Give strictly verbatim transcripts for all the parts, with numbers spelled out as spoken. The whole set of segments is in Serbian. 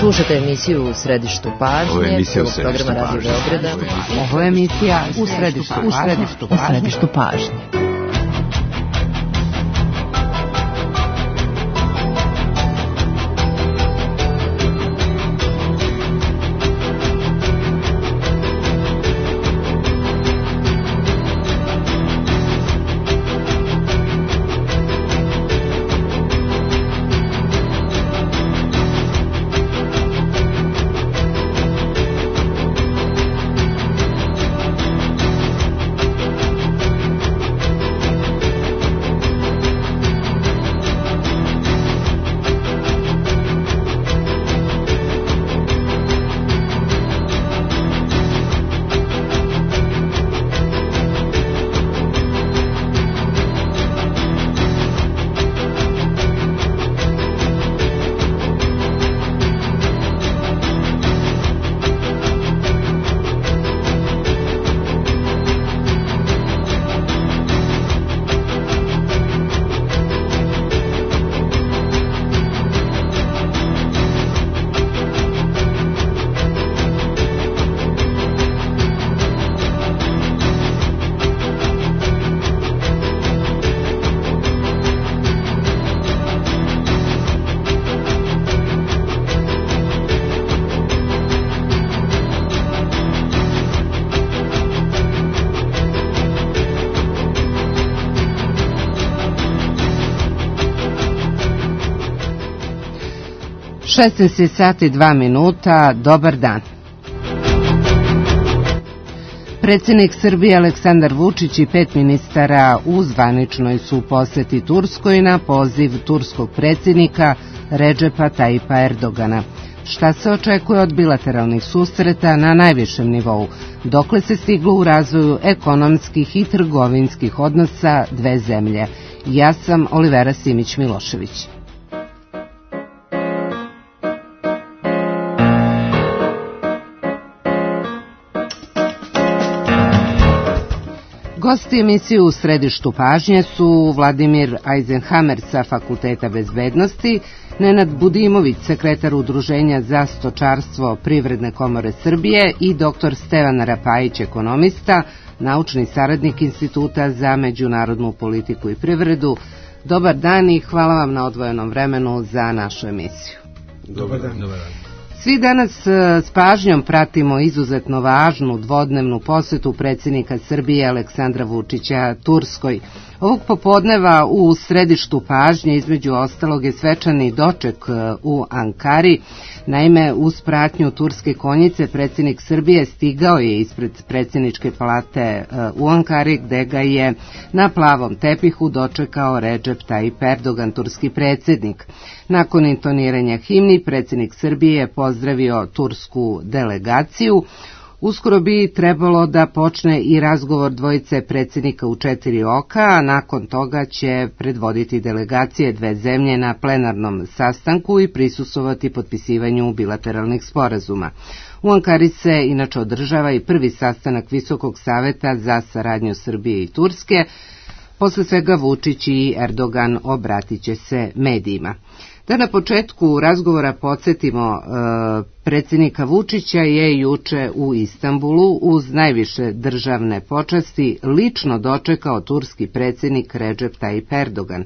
Slušate emisiju U središtu pažnje. Ovo je emisija U središtu programa Radio Beograda. Ovo je emisija U središtu pažnje. šesnaest sati i dva minuta, dobar dan. Predsjednik Srbije Aleksandar Vučić i pet ministara u zvaničnoj su poseti Turskoj na poziv turskog predsjednika Redžepa Tajipa Erdogana. Šta se očekuje od bilateralnih susreta na najvišem nivou? Dokle se stiglo u razvoju ekonomskih i trgovinskih odnosa dve zemlje? Ja sam Olivera Simić-Milošević. Gosti emisiju U središtu pažnje su Vladimir Eisenhammer sa Fakulteta bezbednosti, Nenad Budimović, sekretar Udruženja za stočarstvo Privredne komore Srbije i doktor Stevan Rapajić, ekonomista, naučni saradnik Instituta za međunarodnu politiku i privredu. Dobar dan i hvala vam na odvojenom vremenu za našu emisiju. Dobar dan. Dobar dan. Svi danas s pažnjom pratimo izuzetno važnu dvodnevnu posetu predsjednika Srbije Aleksandra Vučića Turskoj. Ovog popodneva u središtu pažnje između ostalog je svečani doček u Ankari. Naime, uz pratnju turske konjice predsjednik Srbije stigao je ispred predsjedničke palate u Ankari, gde ga je na plavom tepihu dočekao Redžep Tajip Erdogan, turski predsjednik. Nakon intoniranja himni, predsjednik Srbije je pozdravio tursku delegaciju. Uskoro bi trebalo da počne i razgovor dvojice predsjednika u četiri oka, a nakon toga će predvoditi delegacije dve zemlje na plenarnom sastanku i prisustvovati potpisivanju bilateralnih sporazuma. U Ankari se inače održava i prvi sastanak Visokog saveta za saradnju Srbije i Turske. Posle svega Vučić i Erdogan obratit će se medijima. Da na početku razgovora podsjetimo, e, predsjednika Vučića je juče u Istanbulu uz najviše državne počasti lično dočekao turski predsjednik Redžep Tajip Erdogan.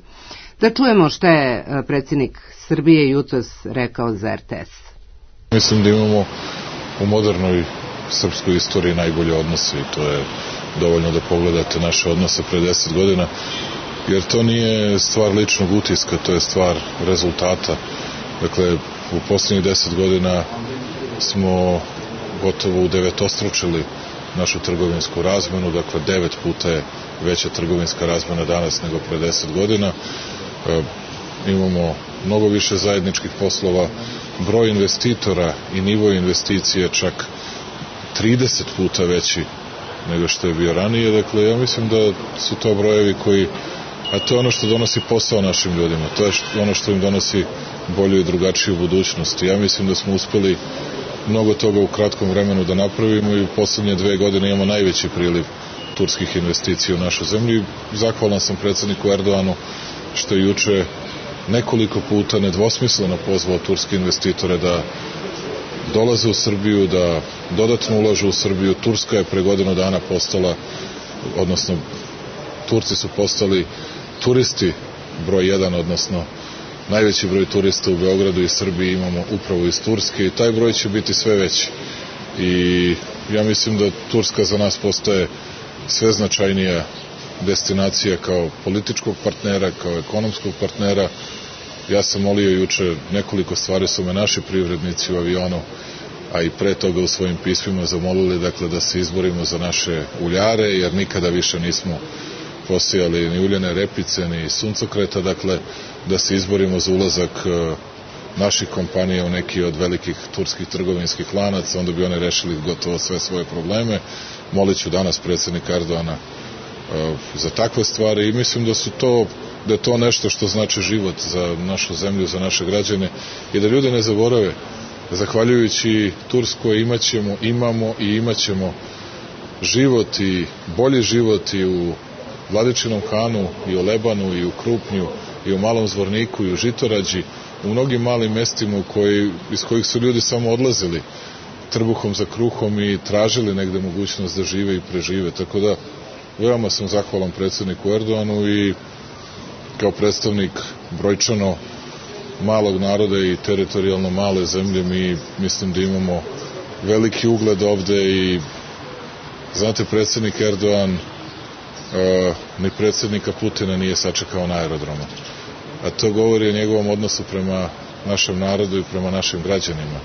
Da čujemo šta je predsjednik Srbije jutros rekao za R T S. Mislim da imamo u modernoj srpskoj istoriji najbolje odnose i to je dovoljno da pogledate naše odnose pre deset godina. Jer to nije stvar ličnog utiska, to je stvar rezultata. Dakle, u posljednjih deset godina smo gotovo udevetostručili našu trgovinsku razmenu, dakle devet puta je veća trgovinska razmena danas nego pre deset godina. E, imamo mnogo više zajedničkih poslova, broj investitora i nivo investicije čak trideset puta veći nego što je bio ranije. Dakle, ja mislim da su to brojevi koji, a to je ono što donosi posao našim ljudima, to je ono što im donosi bolju i drugačiju budućnost. Ja mislim da smo uspeli mnogo toga u kratkom vremenu da napravimo i u poslednje dve godine imamo najveći priliv turskih investicija u našu zemlju. Zahvalan sam predsjedniku Erdoganu što je juče nekoliko puta nedvosmisleno pozvao turske investitore da dolaze u Srbiju, da dodatno ulažu u Srbiju. Turska je pre godinu dana postala, odnosno Turci su postali turisti broj jedan, odnosno najveći broj turista u Beogradu i Srbiji imamo upravo iz Turske i taj broj će biti sve veći. I ja mislim da Turska za nas postaje sve značajnija destinacija kao političkog partnera, kao ekonomskog partnera. Ja sam molio juče, nekoliko stvari su me naši privrednici u avionu, a i pre toga u svojim pismima zamolili, dakle, da se izborimo za naše uljare, jer nikada više nismo posijali ni uljane repice, ni suncokreta, dakle, da se izborimo za ulazak naših kompanija u neki od velikih turskih trgovinskih lanaca, onda bi one rešili gotovo sve svoje probleme. Molit ću danas predsjednika Erdoana za takve stvari i mislim da su to, da je to nešto što znači život za našu zemlju, za naše građane i da ljudi ne zaborave, zahvaljujući Turskoj imaćemo, imamo i imaćemo život i bolji život i u Vladičinom Hanu, i u Lebanu, i u Krupnju, i u Malom Zvorniku, i u Žitorađi, u mnogim malim mestima u koji, iz kojih su ljudi samo odlazili trbuhom za kruhom i tražili negde mogućnost da žive i prežive. Tako da, veoma sam zahvalan predsjedniku Erdoanu i kao predstavnik brojčano malog naroda i teritorijalno male zemlje mi mislim da imamo veliki ugled ovde i znate, predsjednik Erdoan Uh, ni predsjednika Putina nije sačekao na aerodromu. A to govori o njegovom odnosu prema našem narodu i prema našim građanima.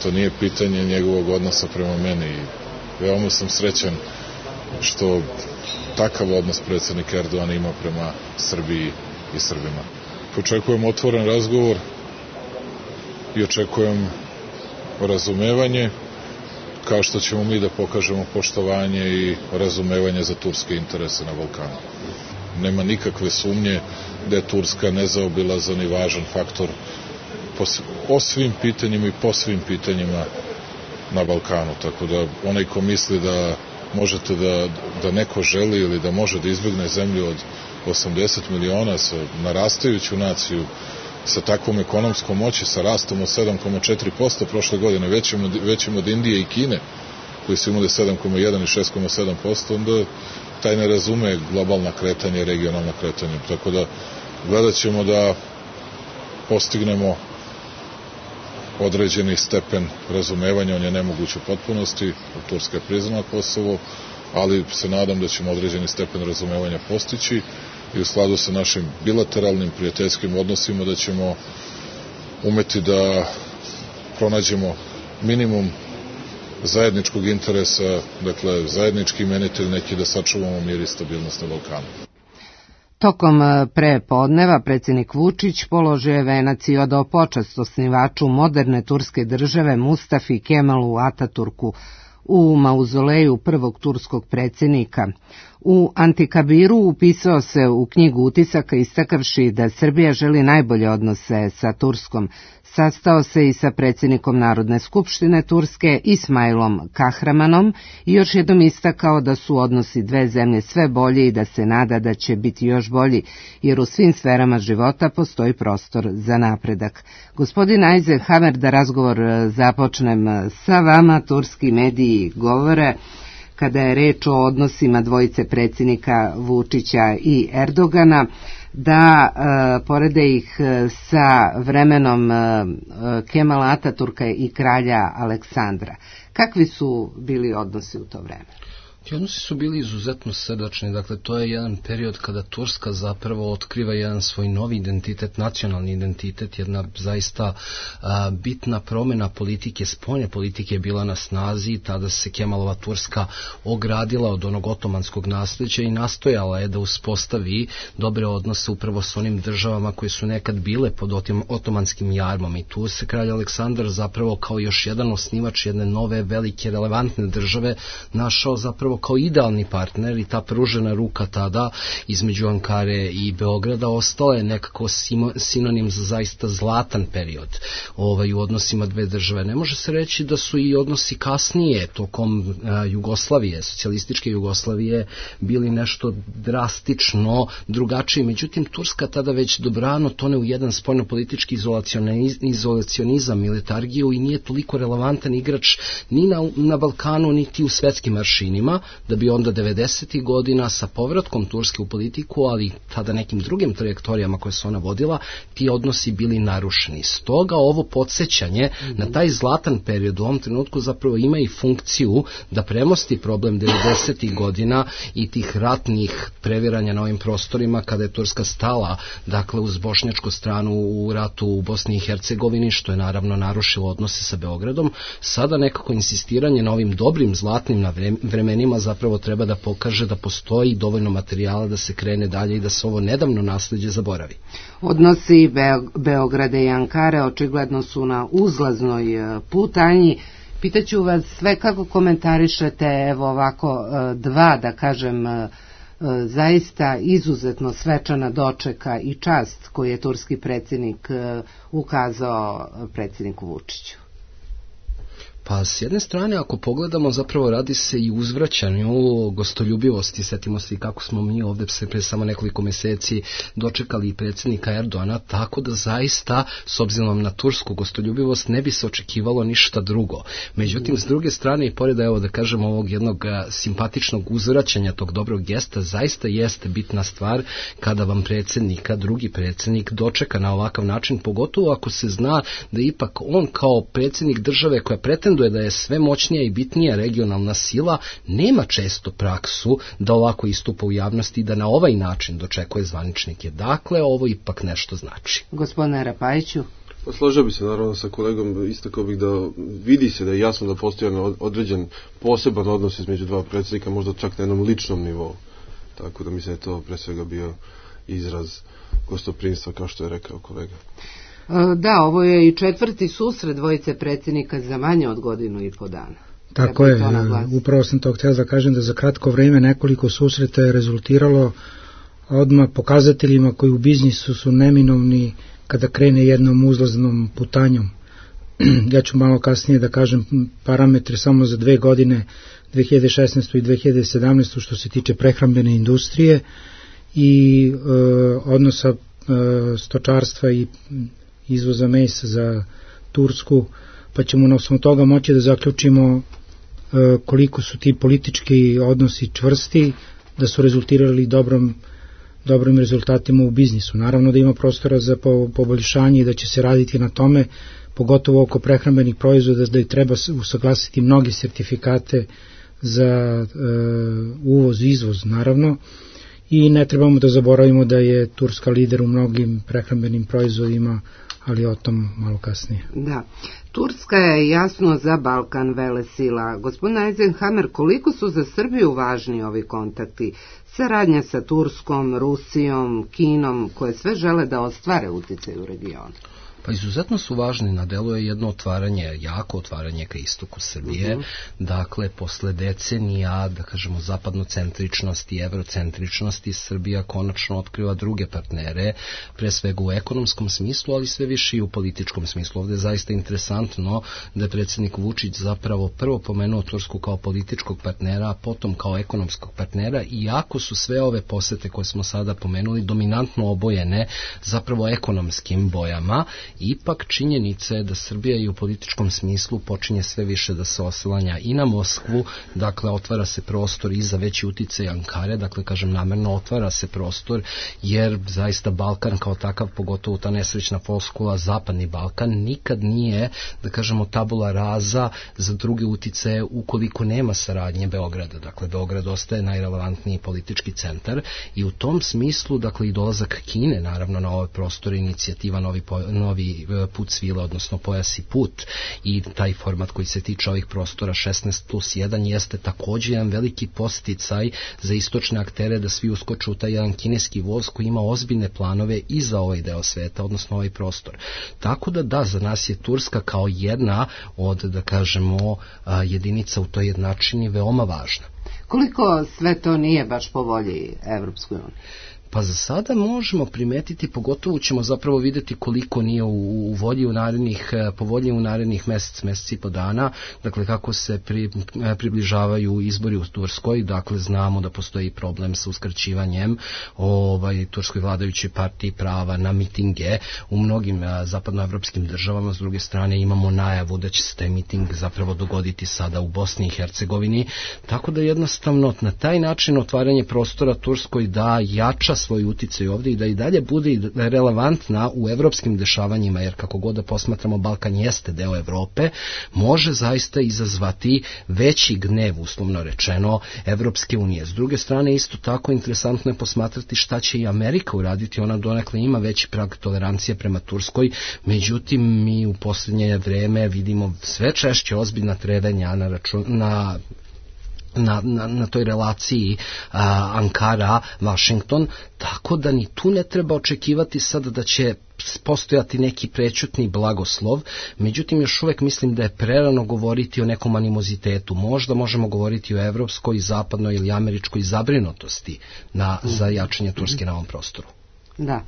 To nije pitanje njegovog odnosa prema meni. I veoma sam srećan što takav odnos predsjednik Erdogan ima prema Srbiji i Srbima. Očekujem otvoren razgovor i očekujem razumevanje, kao što ćemo mi da pokažemo poštovanje i razumevanje za turske interese na Balkanu. Nema nikakve sumnje da je Turska nezaobilazan i važan faktor po, o svim pitanjima i po svim pitanjima na Balkanu. Tako da onaj ko misli da možete da, da neko želi ili da može da izbjegne zemlju od osamdeset miliona sa narastajuću naciju, sa takvom ekonomskom moći, sa rastom od sedam zarez četiri posto prošle godine, većim od, većim od Indije i Kine, koji su imali sedam zarez jedan i šest zarez sedam posto, onda taj ne razume globalna kretanja i regionalna kretanja. Tako da gledat ćemo da postignemo određeni stepen razumevanja, on je nemoguć u potpunosti, Turska je priznala Kosovo, ali se nadam da ćemo određeni stepen razumevanja postići i u skladu sa našim bilateralnim prijateljskim odnosima da ćemo umeti da pronađemo minimum zajedničkog interesa, dakle zajednički imenitelj neki da sačuvamo mir i stabilnost na Balkanu. Tokom prepodneva predsjednik Vučić položio je venac i odao počast osnivaču moderne turske države Mustafi Kemalu Ataturku u mauzoleju prvog turskog predsjednika. U Antikabiru upisao se u knjigu utisaka istakavši da Srbija želi najbolje odnose sa Turskom. Sastao se i sa predsjednikom Narodne skupštine Turske Ismailom Kahramanom i još jednom istakao da su odnosi dve zemlje sve bolji i da se nada da će biti još bolji, jer u svim sferama života postoji prostor za napredak. Gospodin Eisenhower, da razgovor započnem sa vama, turski mediji govore kada je reč o odnosima dvojice predsjednika Vučića i Erdogana, da e, porede ih sa vremenom e, Kemala Ataturka i kralja Aleksandra. Kakvi su bili odnosi u to vreme? Ti odnosi su bili izuzetno srdačni, dakle to je jedan period kada Turska zapravo otkriva jedan svoj novi identitet, nacionalni identitet, jedna zaista a, bitna promjena politike, spoljne politike je bila na snazi, tada se Kemalova Turska ogradila od onog otomanskog nasljeđa i nastojala je da uspostavi dobre odnose upravo s onim državama koje su nekad bile pod otomanskim jarmom i tu se kralj Aleksandar zapravo kao još jedan osnivač jedne nove, velike, relevantne države našao zapravo zapravo kao idealni partner i ta pružena ruka tada između Ankare i Beograda ostala je nekako sinonim za zaista zlatan period ovaj, u odnosima dve države. Ne može se reći da su i odnosi kasnije tokom a, Jugoslavije, socijalističke Jugoslavije bili nešto drastično drugačiji. Međutim, Turska tada već dobrano tone u jedan spoljnopolitički izolacionizam i letargiju i nije toliko relevantan igrač ni na, na Balkanu, niti u svetskim aršinima, da bi onda devedesetih godina sa povratkom Turske u politiku, ali tada nekim drugim trajektorijama koje su ona vodila, ti odnosi bili narušeni. Stoga ovo podsjećanje mm-hmm. na taj zlatan period u ovom trenutku zapravo ima i funkciju da premosti problem devedesetih godina i tih ratnih previranja na ovim prostorima kada je Turska stala, dakle, uz bošnjačku stranu u ratu u Bosni i Hercegovini, što je naravno narušilo odnose sa Beogradom. Sada nekako insistiranje na ovim dobrim zlatnim vremenima zapravo treba da pokaže da postoji dovoljno materijala da se krene dalje i da se ovo nedavno nasleđe zaboravi. Odnosi Beograda i Ankare očigledno su na uzlaznoj putanji. Pitaću vas sve kako komentarišete evo ovako dva, da kažem, zaista izuzetno svečana dočeka i čast koju je turski predsjednik ukazao predsjedniku Vučiću. Pa s jedne strane, ako pogledamo, zapravo radi se i uzvraćanju gostoljubivosti. Setimo se i kako smo mi ovdje se pre samo nekoliko mjeseci dočekali i predsjednika Erdogana, tako da zaista, s obzirom na tursku gostoljubivost, ne bi se očekivalo ništa drugo. Međutim, s druge strane, i pored, evo da kažemo, ovog jednog simpatičnog uzvraćanja tog dobrog gesta, zaista jeste bitna stvar kada vam predsjednika, drugi predsjednik, dočeka na ovakav način, pogotovo ako se zna da ipak on kao predsjednik države koja pretenduje da je sve moćnija i bitnija regionalna sila, nema često praksu da ovako istupa u javnosti i da na ovaj način dočekuje zvaničnike. Dakle, ovo ipak nešto znači. Gospodine Rapajiću? Pa složio bi se naravno sa kolegom, istakao bih da vidi se da je jasno da postoji određen poseban odnos između dva predsjednika, možda čak na jednom ličnom nivou. Tako da mislim da je to pre svega bio izraz gostoprimstva, kao što je rekao kolega. Da, ovo je i četvrti susret dvojice predsjednika za manje od godinu i po dana. Tako je, upravo sam to htio da kažem da za kratko vrijeme nekoliko susreta je rezultiralo odmah pokazateljima koji u biznisu su neminovni kada krene jednom uzlaznom putanjom. Ja ću malo kasnije da kažem parametre samo za dve godine, dve hiljade šesnaestu i dve hiljade sedamnaestu što se tiče prehrambene industrije i e, odnosa e, stočarstva i izvoza mesa za Tursku, pa ćemo na osnovu toga moći da zaključimo e, koliko su ti politički odnosi čvrsti, da su rezultirali dobrom, dobrim rezultatima u biznisu. Naravno da ima prostora za po, poboljšanje i da će se raditi na tome, pogotovo oko prehrambenih proizvoda, da je treba usaglasiti mnoge sertifikate za e, uvoz i izvoz, naravno. I ne trebamo da zaboravimo da je Turska lider u mnogim prehrambenim proizvodima, ali o tom malo kasnije. Da, Turska je jasno za Balkan velesila. Gospodin Eisenhammer, koliko su za Srbiju važni ovi kontakti? Saradnja sa Turskom, Rusijom, Kinom, koje sve žele da ostvare uticaj u regionu. Pa izuzetno su važni, na delu je jedno otvaranje, jako otvaranje ka istoku Srbije, uh-huh. Dakle, posle decenija, da kažemo, zapadnocentričnosti i evrocentričnosti, Srbija konačno otkriva druge partnere, pre svega u ekonomskom smislu, ali sve više i u političkom smislu. Ovdje je zaista interesantno da je predsjednik Vučić zapravo prvo pomenuo Tursku kao političkog partnera, a potom kao ekonomskog partnera, iako su sve ove posete koje smo sada pomenuli dominantno obojene zapravo ekonomskim bojama. Ipak činjenica je da Srbija i u političkom smislu počinje sve više da se oslanja i na Moskvu, dakle otvara se prostor i za veći uticaj Ankare, dakle kažem namerno otvara se prostor, jer zaista Balkan kao takav, pogotovo ta nesrećna floskula Zapadni Balkan, nikad nije, da kažemo, tabula rasa za druge uticaje ukoliko nema saradnje Beograda. Dakle, Beograd ostaje najrelevantniji politički centar i u tom smislu, dakle, i dolazak Kine, naravno, na ove prostore, inicijativa Novi, novi put svile, odnosno pojas i put, i taj format koji se tiče ovih prostora šesnaest plus jedan jeste također jedan veliki posticaj za istočne aktere da svi uskoču u taj jedan kineski voz koji ima ozbiljne planove i za ovaj deo sveta, odnosno ovaj prostor. Tako da da, za nas je Turska kao jedna od, da kažemo, jedinica u toj jednačini veoma važna. Koliko sve to nije baš po volji Evropskoj uniji? Pa za sada možemo primetiti, pogotovo ćemo zapravo vidjeti koliko nije u, u volji u narednih, po volji u narednih mesec, mesec i po dana, dakle kako se pri, približavaju izbori u Turskoj, dakle znamo da postoji problem sa uskraćivanjem ovaj, turskoj vladajućoj partiji prava na mitinge u mnogim a, zapadnoevropskim državama. S druge strane imamo najavu da će se taj miting zapravo dogoditi sada u Bosni i Hercegovini, tako da jednostavno na taj način otvaranje prostora Turskoj da jača svoj uticaj ovdje i da i dalje bude relevantna u evropskim dešavanjima, jer kako god da posmatramo, Balkan jeste deo Evrope, može zaista izazvati veći gnev, uslovno rečeno, Evropske unije. S druge strane, isto tako interesantno je posmatrati šta će i Amerika uraditi, ona donekle ima veći prag tolerancije prema Turskoj, međutim mi u posljednje vreme vidimo sve češće ozbiljna trevanja na račun, na Na, na, na toj relaciji a, Ankara-Washington, tako da ni tu ne treba očekivati sada da će postojati neki prećutni blagoslov, međutim još uvek mislim da je prerano govoriti o nekom animozitetu. Možda možemo govoriti o evropskoj, zapadnoj ili američkoj zabrinutosti na, za jačanje Turske na ovom prostoru. Da.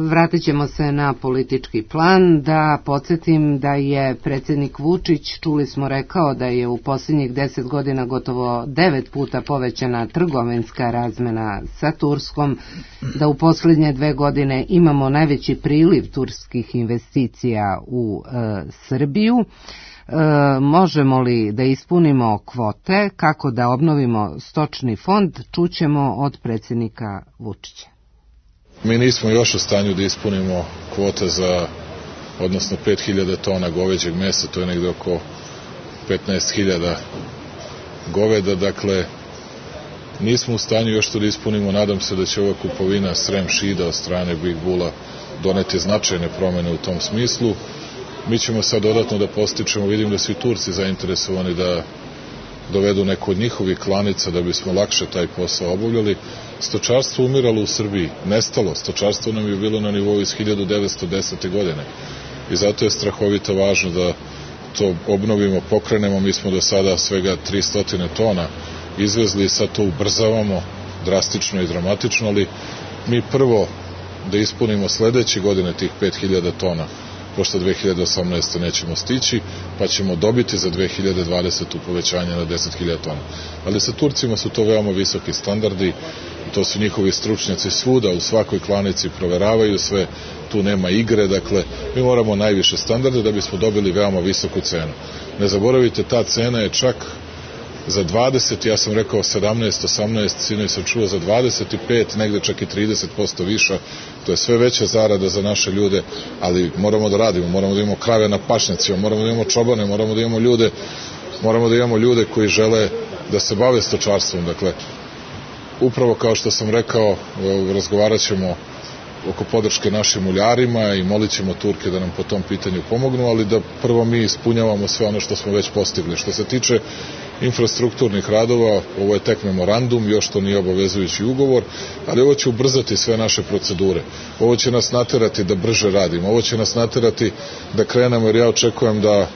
Vratit ćemo se na politički plan, da podsjetim da je predsjednik Vučić, čuli smo, rekao da je u posljednjih deset godina gotovo devet puta povećana trgovinska razmena sa Turskom, da u posljednje dve godine imamo najveći priliv turskih investicija u e, Srbiju. E, možemo li da ispunimo kvote, kako da obnovimo stočni fond, čućemo od predsjednika Vučića. Mi nismo još u stanju da ispunimo kvote za, odnosno pet hiljada tona goveđeg mesa, to je negde oko petnaest hiljada goveda, dakle nismo u stanju još to da ispunimo. Nadam se da će ova kupovina Srem Šida od strane Big Bulla doneti značajne promene u tom smislu. Mi ćemo sad dodatno da postičemo, vidim da su i Turci zainteresovani da dovedu neku od njihovih klanica da bismo lakše taj posao obavljali. Stočarstvo umiralo u Srbiji, nestalo. Stočarstvo nam je bilo na nivou iz hiljadu devetsto desete. godine. I zato je strahovito važno da to obnovimo, pokrenemo. Mi smo do sada svega tristo tona izvezli i sad to ubrzavamo drastično i dramatično, ali mi prvo da ispunimo sledeće godine tih pet hiljada tona, pošto dve hiljade osamnaeste. nećemo stići, pa ćemo dobiti za dve hiljade dvadesete. povećanje na deset hiljada tona. Ali sa Turcima su to veoma visoki standardi, to su njihovi stručnjaci svuda, u svakoj klanici proveravaju sve, tu nema igre, dakle, mi moramo najviše standarde da bismo dobili veoma visoku cenu. Ne zaboravite, ta cena je čak za dvadeset, ja sam rekao sedamnaest, osamnaest, sinoć sam čuo za dvadeset pet, negde čak i trideset posto viša, to je sve veća zarada za naše ljude, ali moramo da radimo, moramo da imamo krave na pašnjacima, moramo da imamo čobane, moramo da imamo ljude, moramo da imamo ljude koji žele da se bave stočarstvom, dakle, upravo kao što sam rekao, razgovarat ćemo oko podrške našim uljarima i molit ćemo Turke da nam po tom pitanju pomognu, ali da prvo mi ispunjavamo sve ono što smo već postigli. Što se tiče infrastrukturnih radova, ovo je tek memorandum, još to nije obavezujući ugovor, ali ovo će ubrzati sve naše procedure. Ovo će nas naterati da brže radimo, ovo će nas naterati da krenemo, jer ja očekujem da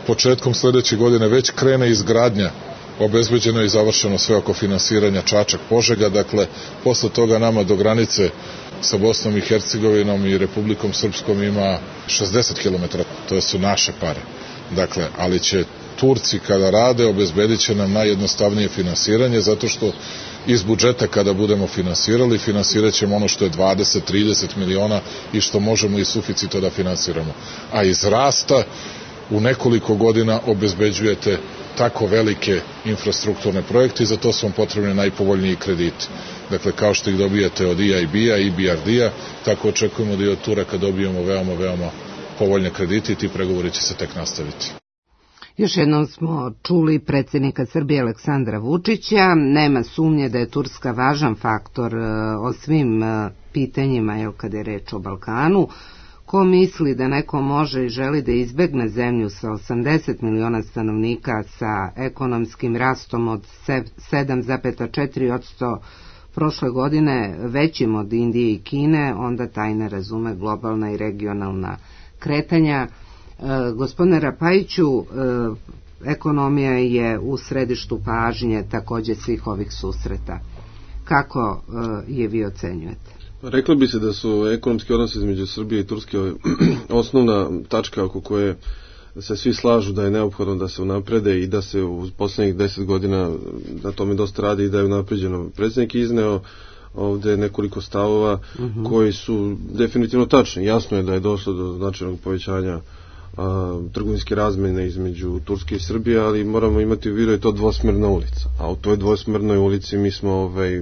početkom sledeće godine već krene izgradnja, obezbeđeno i završeno sve oko finansiranja Čačak-Požega, dakle, posle toga nama do granice sa Bosnom i Hercegovinom i Republikom Srpskom ima šezdeset kilometara, to su naše pare. Dakle, ali će Turci kada rade obezbedit će nam najjednostavnije finansiranje, zato što iz budžeta kada budemo finansirali, finansirat ćemo ono što je dvadeset do trideset miliona i što možemo iz suficita da finansiramo. A iz rasta u nekoliko godina obezbeđujete tako velike infrastrukturne projekte i za to su vam potrebni najpovoljniji krediti. Dakle, kao što ih dobijate od E I B-a i B R D-a, tako očekujemo da i od Turaka dobijemo veoma, veoma povoljne kredite i ti pregovori će se tek nastaviti. Još jednom smo čuli predsjednika Srbije Aleksandra Vučića. Nema sumnje da je Turska važan faktor o svim pitanjima, jel, kada je reč o Balkanu. Ko misli da neko može i želi da izbegne zemlju sa osamdeset miliona stanovnika, sa ekonomskim rastom od sedam zarez četiri posto prošle godine, većim od Indije i Kine, onda taj ne razume globalna i regionalna kretanja. E, gospodine Rapajiću, e, ekonomija je u središtu pažnje takođe svih ovih susreta. Kako je vi ocenjujete? Reklo bi se da su ekonomski odnosi između Srbije i Turske osnovna tačka oko koje se svi slažu da je neophodno da se unaprede i da se u poslednjih deset godina na tome dosta radi i da je unapređeno. Predsjednik izneo ovde nekoliko stavova uh-huh. koji su definitivno tačni. Jasno je da je došlo do značajnog povećanja a, trgovinske razmene između Turske i Srbije, ali moramo imati u vidu je to dvosmerna ulica. A u toj dvosmernoj ulici mi smo ovaj,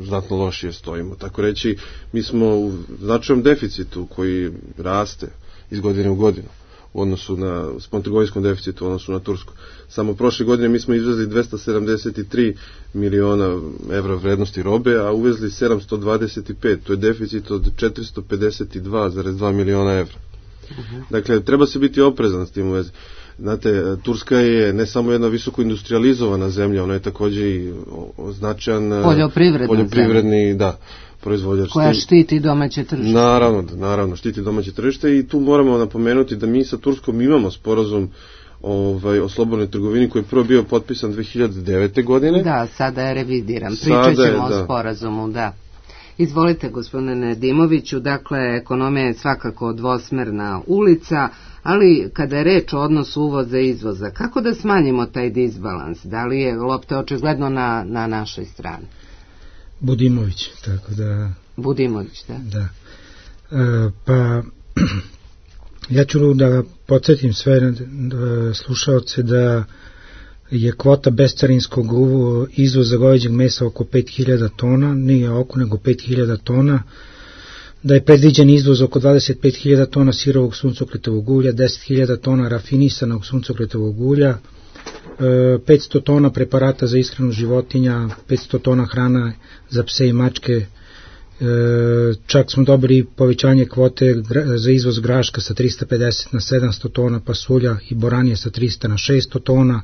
znatno lošije stojimo. Tako reći, mi smo u značajnom deficitu koji raste iz godine u godinu u odnosu na spoljnotrgovinskom deficitu u odnosu na Tursku. Samo prošle godine mi smo izvezli dvesta sedamdeset tri miliona evra vrednosti robe, a uvezli sedamsto dvadeset pet. To je deficit od četiristo pedeset dva zarez dva miliona evra. Uh-huh. Dakle, treba se biti oprezan s tim u vezi. Znate, Turska je ne samo jedna visoko industrializovana zemlja, ona je takođe i značajan poljoprivredni, da, proizvođač. Koja štiti domaće tržište. Naravno, naravno, štiti domaće tržište i tu moramo napomenuti da mi sa Turskom imamo sporazum ovaj, o slobodnoj trgovini koji je prvo bio potpisan dve hiljade devete. godine. Da, sada je revidiran. Pričat ćemo o sporazumu, da. Izvolite, gospodine Nedimoviću, dakle, ekonomija je svakako dvosmerna ulica, ali kada je reč o odnosu uvoza i izvoza, kako da smanjimo taj disbalans? Da li je lopta očigledno na, na našoj strani? Budimović, tako da... Budimović, da. Da. E, pa, ja ću da podsjetim sve slušaoce da je kvota bescarinskog izvoza goveđeg mesa oko pet hiljada tona, nije oko nego pet hiljada tona, da je predviđen izvoz oko dvadeset pet hiljada tona sirovog suncokretovog ulja, deset hiljada tona rafinisanog suncokretovog ulja, petsto tona preparata za ishranu životinja, petsto tona hrana za pse i mačke, čak smo dobili povećanje kvote za izvoz graška sa trista pedeset na sedamsto tona, pasulja i boranije sa trista na šesto tona,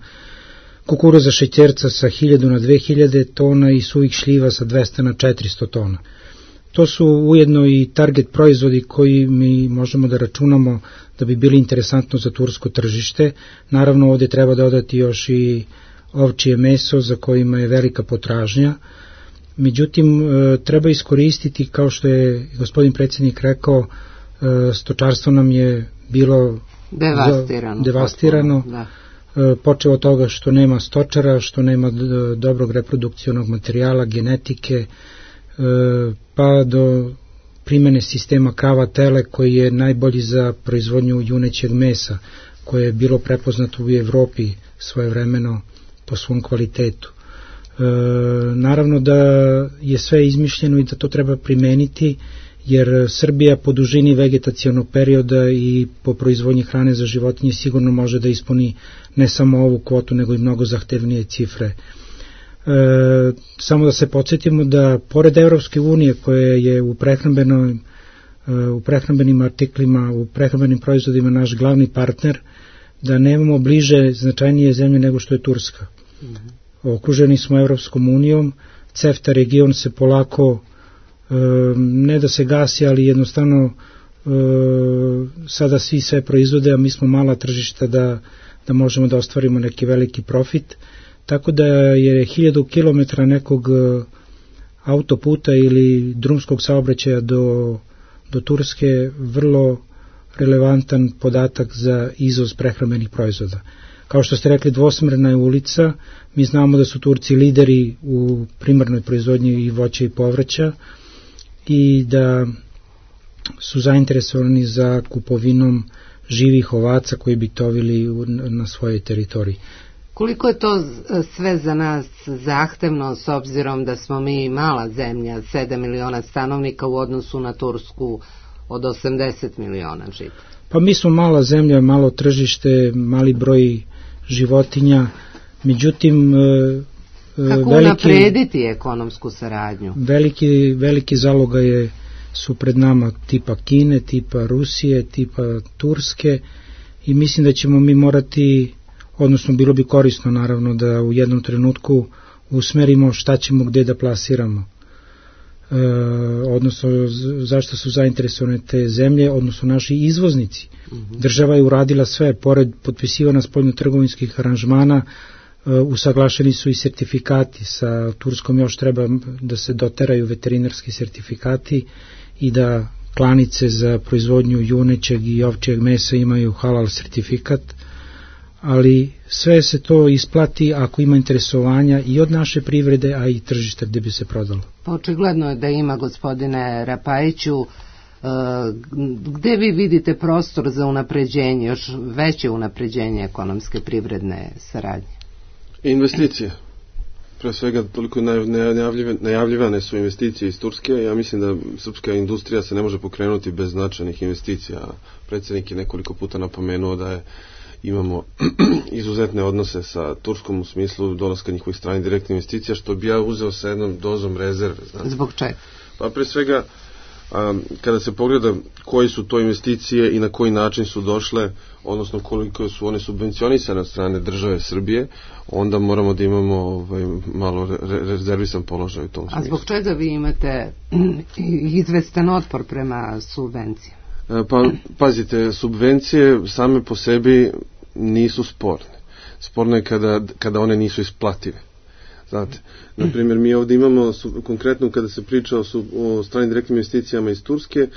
kukuruza šećerca sa hiljadu na dve hiljade tona i suvih šljiva sa dvesta na četiristo tona. To su ujedno i target proizvodi koji mi možemo da računamo da bi bili interesantno za tursko tržište. Naravno, ovdje treba dodati još i ovčije meso za kojima je velika potražnja. Međutim, treba iskoristiti, kao što je gospodin predsjednik rekao, stočarstvo nam je bilo devastirano. devastirano. Da. Počeo od toga što nema stočara, što nema dobrog reprodukcionog materijala, genetike, pa do primene sistema krava tele koji je najbolji za proizvodnju junećeg mesa, koje je bilo prepoznato u Evropi svojevremeno po svom kvalitetu. E, naravno da je sve izmišljeno i da to treba primeniti, jer Srbija po dužini vegetacionog perioda i po proizvodnji hrane za životinje sigurno može da ispuni ne samo ovu kvotu, nego i mnogo zahtevnije cifre. E, samo da se podsjetimo da pored Evropske unije koja je u prehrambenoj u prehrambenim artiklima, u prehrambenim proizvodima naš glavni partner, da nemamo bliže značajnije zemlje nego što je Turska. Mm-hmm. Okruženi smo Evropskom unijom, CEFTA region se polako e, ne da se gasi, ali jednostavno e, sada svi sve proizvode, a mi smo mala tržišta da, da možemo da ostvarimo neki veliki profit, tako da je hiljadu kilometara nekog autoputa ili drumskog saobraćaja do, do Turske vrlo relevantan podatak za izvoz prehrambenih proizvoda. Kao što ste rekli, dvosmerna je ulica, mi znamo da su Turci lideri u primarnoj proizvodnji i voća i povrća i da su zainteresovani za kupovinom živih ovaca koji bi tovili na svojoj teritoriji. Koliko je to sve za nas zahtevno s obzirom da smo mi mala zemlja, sedam miliona stanovnika u odnosu na Tursku od osamdeset miliona žitelja? Pa mi smo mala zemlja, malo tržište, mali broj životinja, međutim kako veliki, naprediti ekonomsku saradnju? Veliki, veliki zalogaje su pred nama tipa Kine, tipa Rusije, tipa Turske i mislim da ćemo mi morati, odnosno bilo bi korisno naravno da u jednom trenutku usmerimo šta ćemo gde da plasiramo. odnosno zašto su zainteresovane te zemlje, odnosno naši izvoznici. Država je uradila sve, pored potpisivanja spoljno-trgovinskih aranžmana, usaglašeni su i sertifikati. Sa Turskom još treba da se doteraju veterinarski sertifikati i da klanice za proizvodnju junećeg i ovčjeg mesa imaju halal sertifikat, ali sve se to isplati ako ima interesovanja i od naše privrede, a i tržište gde bi se prodalo. Pa očigledno je da ima, gospodine Rapajiću. Gde vi vidite prostor za unapređenje, još veće unapređenje ekonomske privredne saradnje? Investicije. Pre svega toliko najavljivane su investicije iz Turske. Ja mislim da srpska industrija se ne može pokrenuti bez značajnih investicija. Predsjednik je nekoliko puta napomenuo da je imamo izuzetne odnose sa Turskom u smislu dolaska njihovih stranih direktnih investicija, što bi ja uzeo sa jednom dozom rezerve. Znači. Zbog čega? Pa pre svega, a, kada se pogleda koji su to investicije i na koji način su došle, odnosno koliko su one subvencionisane od strane države Srbije, onda moramo da imamo ovaj, malo re, rezervisan položaj u tom smislu. A zbog čega vi imate izvestan otpor prema subvencijama? Pa, pazite, subvencije same po sebi nisu sporne. Sporno je kada, kada one nisu isplative. Znate, na primjer, mi ovdje imamo, konkretno kada se priča o, o stranim direktnim investicijama iz Turske,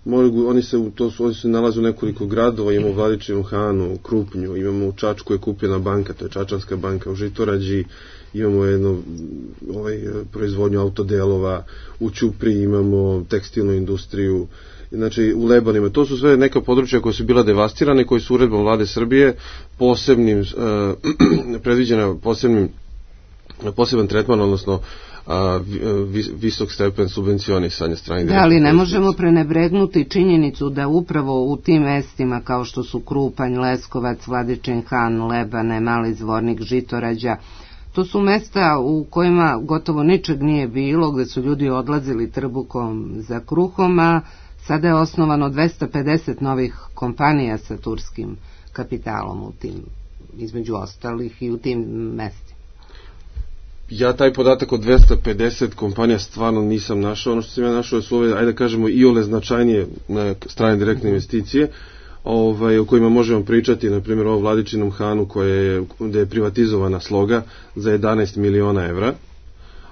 mogu, oni se, to su, oni se nalaze u nekoliko gradova, imamo u Vladičinu Hanu, u Krupnju, imamo u Čačku je kupljena banka, to je Čačanska banka, u Žitorađi imamo jednu ovaj, proizvodnju autodelova, u Ćupri imamo tekstilnu industriju, znači u Lebanima. To su sve neka područja koja su bila devastirane, koji su uredbom vlade Srbije posebnim, uh, predviđena posebnim, poseban tretman, odnosno uh, visok stepen subvencionisanja strane. Da, ali ne možemo prenebregnuti činjenicu da upravo u tim mestima kao što su Krupanj, Leskovac, Vladičin Han, Lebane, Mali Zvornik, Žitorađa, to su mesta u kojima gotovo ničeg nije bilo, gde su ljudi odlazili trbukom za kruhom, a sada je osnovano dvesta pedeset novih kompanija sa turskim kapitalom u tim, između ostalih i u tim mestima. Ja taj podatak od dvesta pedeset kompanija stvarno nisam našao. Ono što sam ja našao su ove, ajde kažemo, iole značajnije na strane direktne investicije, ovaj, o kojima možemo pričati, na primjer o Vladičinom Hanu koja je, gde je privatizovana Sloga za jedanaest miliona evra.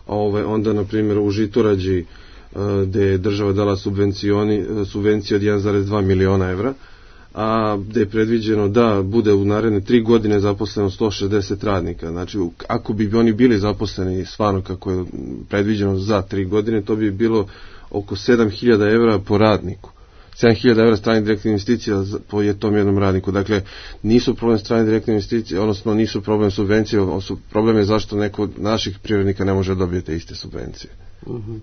Ovaj, onda, na primjer, u Žitorađi gde je država dala subvencije od jedan zarez dva miliona evra, a gde je predviđeno da bude u naredne tri godine zaposleno sto šezdeset radnika. Znači, ako bi oni bili zaposleni stvarno kako je predviđeno za tri godine, to bi bilo oko sedam hiljada evra po radniku. sedam hiljada evra stranih direktnih investicija po tom jednom radniku. Dakle, nisu problem stranih direktnih investicija, odnosno nisu problem subvencije, problem je zašto neko od naših privrednika ne može dobiti te iste subvencije. Mhm.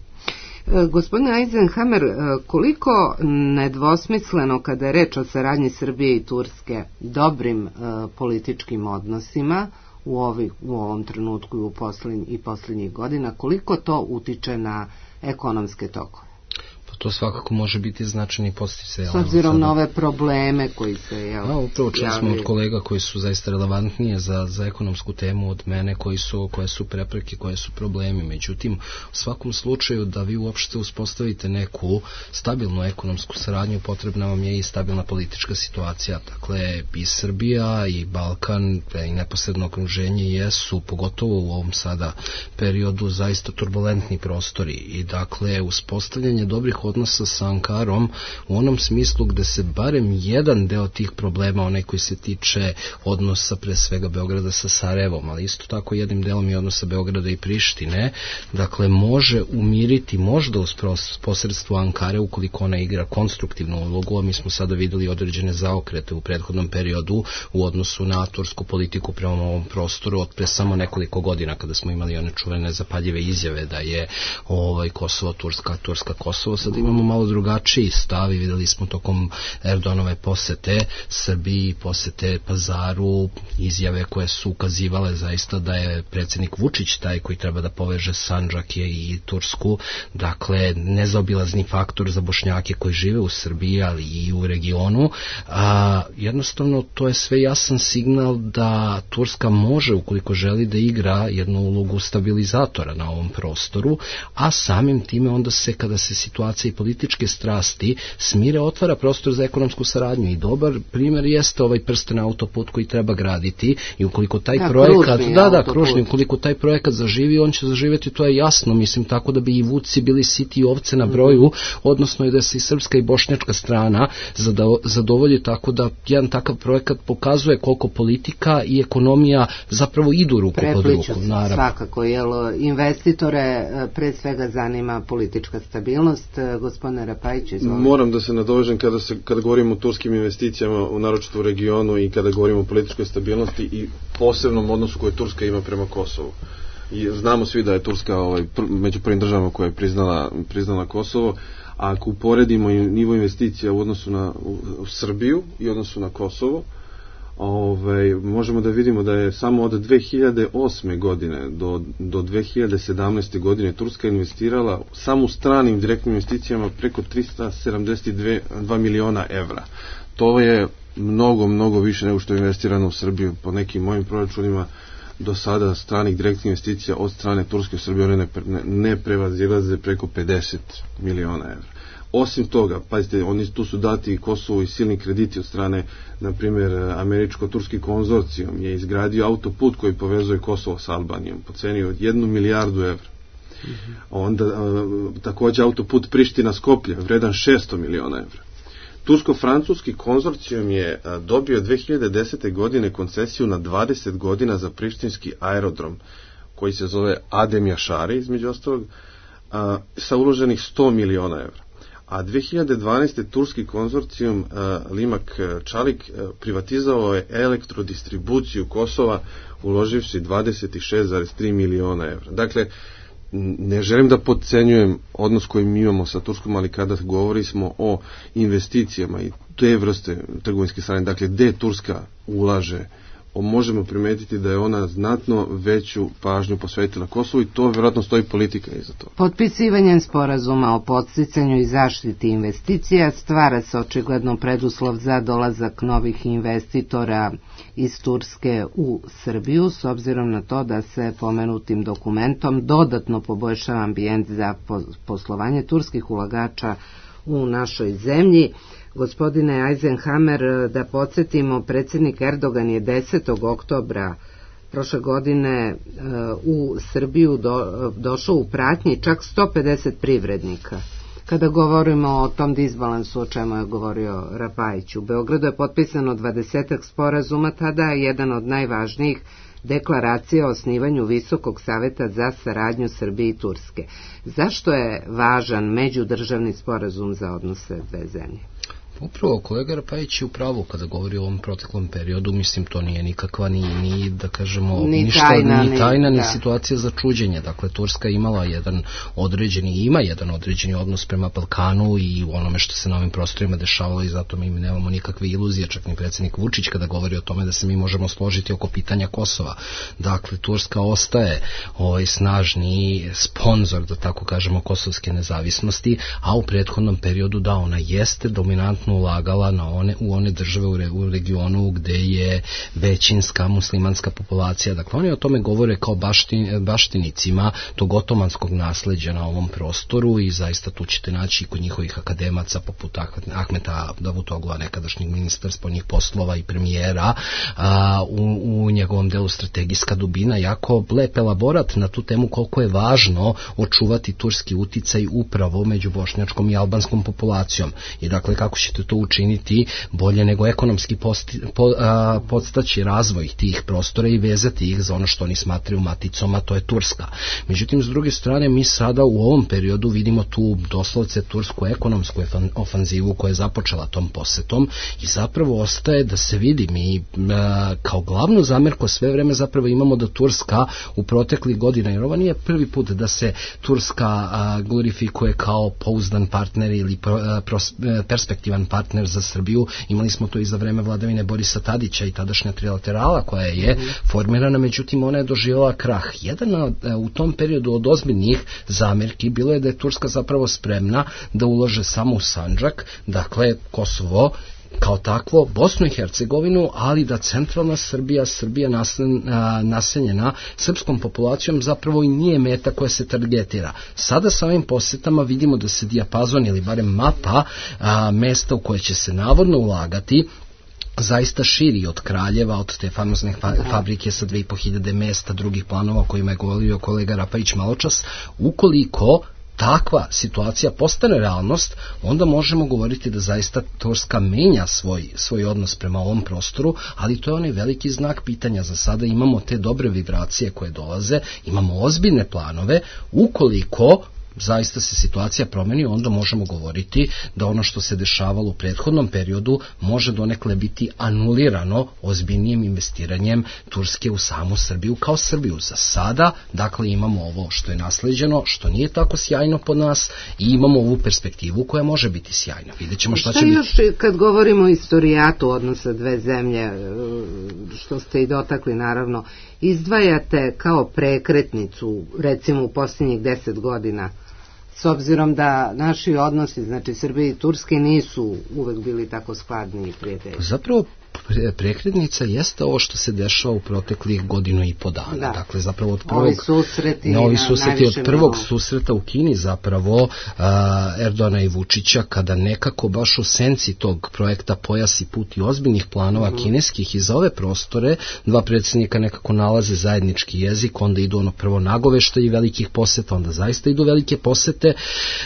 Gospodine Eisenhammer, koliko nedvosmisleno kada je reč o saradnji Srbije i Turske dobrim e, političkim odnosima u, ovi, u ovom trenutku i, u poslednj, i posljednjih godina, koliko to utiče na ekonomske tokove? To svakako može biti značajni podsticaj. S obzirom na ove probleme koji se jel, ja, upravo čuli smo od kolega koji su zaista relevantnije za, za ekonomsku temu od mene, koji su, koje su prepreke, koje su problemi. Međutim, u svakom slučaju da vi uopšte uspostavite neku stabilnu ekonomsku saradnju, potrebna vam je i stabilna politička situacija. Dakle, i Srbija i Balkan i neposredno okruženje jesu, pogotovo u ovom sada periodu, zaista turbulentni prostori. I dakle, uspostavljanje dobrih odnosa sa Ankarom u onom smislu gde se barem jedan deo tih problema, onaj koji se tiče odnosa pre svega Beograda sa Sarajevom, ali isto tako jednim delom i odnosa Beograda i Prištine, dakle može umiriti možda uz posredstvo Ankare ukoliko ona igra konstruktivnu ulogu, a mi smo sada videli određene zaokrete u prethodnom periodu u odnosu na tursku politiku prema ovom prostoru od pre samo nekoliko godina kada smo imali one čuvene zapaljive izjave da je ovaj Kosovo Turska, Turska Kosovo. Sad da imamo malo drugačiji stav i videli smo tokom Erdoganove posete Srbiji, posete Pazaru, izjave koje su ukazivale zaista da je predsjednik Vučić taj koji treba da poveže Sandžak i Tursku, dakle nezaobilazni faktor za Bošnjake koji žive u Srbiji, ali i u regionu. A, jednostavno to je sve jasan signal da Turska može, ukoliko želi, da igra jednu ulogu stabilizatora na ovom prostoru, a samim time onda se, kada se situacija i političke strasti smire, otvara prostor za ekonomsku saradnju i dobar primjer jeste ovaj prsten autoput koji treba graditi i ukoliko taj da, projekat, kružni da, da, kružni, ukoliko taj projekat zaživi, on će zaživjeti, to je jasno, mislim, tako da bi i vuci bili siti ovce na broju, odnosno i da se i srpska i bošnjačka strana zadovolji, tako da jedan takav projekat pokazuje koliko politika i ekonomija zapravo idu ruku pod ruku. Naravno. Svakako, jer investitore pre svega zanima politička stabilnost. Gospodine Rapajić, izvolite. Moram da se nadovežem kada, se, kada govorimo o turskim investicijama, u naročito u regionu, i kada govorimo o političkoj stabilnosti i posebnom odnosu koje Turska ima prema Kosovu. I znamo svi da je Turska ovaj, pr, među prvim državama koja je priznala, priznala Kosovo, a ako uporedimo nivo investicija u odnosu na u, u Srbiju i u odnosu na Kosovo, ovaj, možemo da vidimo da je samo od dve hiljade osme godine do, do dve hiljade sedamnaeste godine Turska investirala samo u stranim direktnim investicijama preko trista sedamdeset dva miliona evra. To je mnogo, mnogo više nego što je investirano u Srbiju. Po nekim mojim proračunima do sada stranih direktnih investicija od strane Turske u Srbiji one ne, ne, ne prevazilaze preko pedeset miliona evra. Osim toga, pazite, oni tu su dati i Kosovo i silni krediti od strane, na primjer, američko-turski konzorcijum je izgradio autoput koji povezuje Kosovo s Albanijom po ceni od jednu milijardu evra. Mm-hmm. Onda a, također autoput Priština-Skoplje vredan šesto miliona evra. Tursko-francuski konzorcijum je a, dobio dve hiljade desete godine koncesiju na dvadeset godina za prištinski aerodrom koji se zove Adem Jašari, između ostalog, a, sa uloženih sto miliona evra. A dve hiljade dvanaeste turski konzorcijum uh, Limak Čalik uh, privatizovao je elektrodistribuciju Kosova uloživši dvadeset šest zarez tri miliona evra. Dakle, ne želim da podcenjujem odnos koji mi imamo sa Turskom, ali kada govorimo o investicijama i te vrste trgovinske strane, dakle, gde Turska ulaže, možemo primetiti da je ona znatno veću pažnju posvetila Kosovu i to vjerojatno stoji politika iza toga. Potpisivanjem sporazuma o podsticanju i zaštiti investicija stvara se očigledno preduslov za dolazak novih investitora iz Turske u Srbiju, s obzirom na to da se pomenutim dokumentom dodatno poboljšava ambijent za poslovanje turskih ulagača u našoj zemlji. Gospodine Eisenhammer, da podsjetimo, predsjednik Erdogan je desetog oktobra prošle godine u Srbiju do, došao u pratnji čak sto pedeset privrednika. Kada govorimo o tom disbalansu o čemu je govorio Rapajić, u Beogradu je potpisano dvadesetak sporazuma, tada je jedan od najvažnijih deklaracija o osnivanju Visokog saveta za saradnju Srbije i Turske. Zašto je važan međudržavni sporazum za odnose dve zemlje? Upravo, kolega Rapajić je u pravu kada govori o ovom proteklom periodu, mislim to nije nikakva ni, ni da kažemo, ni ništa, tajna, ni, tajna, ni da. situacija za čuđenje. Dakle, Turska imala jedan određeni, ima jedan određeni odnos prema Balkanu i u onome što se na ovim prostorima dešavalo i zato mi nemamo nikakve iluzije, čak ni predsjednik Vučić kada govori o tome da se mi možemo složiti oko pitanja Kosova. Dakle, Turska ostaje ovaj snažni sponsor, da tako kažemo, kosovske nezavisnosti, a u prethodnom periodu da, ona jeste dominantna ulagala na one, u one države u, re, u regionu gde je većinska muslimanska populacija. Dakle, oni o tome govore kao baštin, baštinicima tog otomanskog nasleđa na ovom prostoru i zaista tu ćete naći kod njihovih akademaca poput Ahmeta Davutoglua, nekadašnjeg ministra spoljnih poslova i premijera, a, u, u njegovom delu strategijska dubina, jako lep elaborat na tu temu koliko je važno očuvati turski uticaj upravo među bošnjačkom i albanskom populacijom. I dakle, kako će ćete to učiniti bolje nego ekonomski posti, po, a, podstaći razvoj tih prostora i vezati ih za ono što oni smatraju maticom, a to je Turska. Međutim, s druge strane, mi sada u ovom periodu vidimo tu doslovce tursku ekonomsku ofanzivu koja je započela tom posetom i zapravo ostaje da se vidi. Mi a, kao glavnu zamerku sve vreme zapravo imamo da Turska u proteklih godina, jer ovo nije prvi put da se Turska a, glorifikuje kao pouzdan partner ili pro, a, pros, a, perspektivan partner za Srbiju. Imali smo to i za vreme vladavine Borisa Tadića i tadašnja trilaterala koja je mm. formirana, međutim ona je doživjela krah. Jedan a, u tom periodu od ozbiljnih zamerki bilo je da je Turska zapravo spremna da ulože samo u Sandžak, dakle Kosovo kao takvo, Bosnu i Hercegovinu, ali da centralna Srbija, Srbija naseljena srpskom populacijom zapravo i nije meta koja se targetira. Sada sa ovim posetama vidimo da se dijapazon ili barem mapa a, mesta u koje će se navodno ulagati zaista širi od Kraljeva, od te famozne fa- fabrike sa dve i po hiljade mesta, drugih planova o kojima je govorio kolega Rapajić maločas. Ukoliko takva situacija postane realnost, onda možemo govoriti da zaista Turska menja svoj, svoj odnos prema ovom prostoru, ali to je onaj veliki znak pitanja. Za sada imamo te dobre vibracije koje dolaze, imamo ozbiljne planove, ukoliko zaista se situacija promeni, onda možemo govoriti da ono što se dešavalo u prethodnom periodu može donekle biti anulirano ozbiljnijim investiranjem Turske u samu Srbiju kao Srbiju. Za sada, dakle, imamo ovo što je nasleđeno, što nije tako sjajno pod nas i imamo ovu perspektivu koja može biti sjajna. Vidjet ćemo šta, šta će biti. Šta još kad govorimo o istorijatu odnosa dve zemlje, što ste i dotakli naravno, izdvajate kao prekretnicu, recimo u posljednjih deset godina, s obzirom da naši odnosi, znači Srbije i Turske, nisu uvek bili tako skladni i prijatelji? Zapravo prekretnica jeste ovo što se dešava u proteklih godinu i po dana. Da. Dakle, zapravo od prvog, ovi susreti, novi na, susreti od prvog novo. susreta u Kini zapravo a, Erdogana i Vučića, kada nekako baš u senci tog projekta Pojas i put i ozbiljnih planova mm. kineskih i za ove prostore, dva predsjednika nekako nalaze zajednički jezik, onda idu ono prvo nagoveštaji velikih poseta, onda zaista idu velike posete,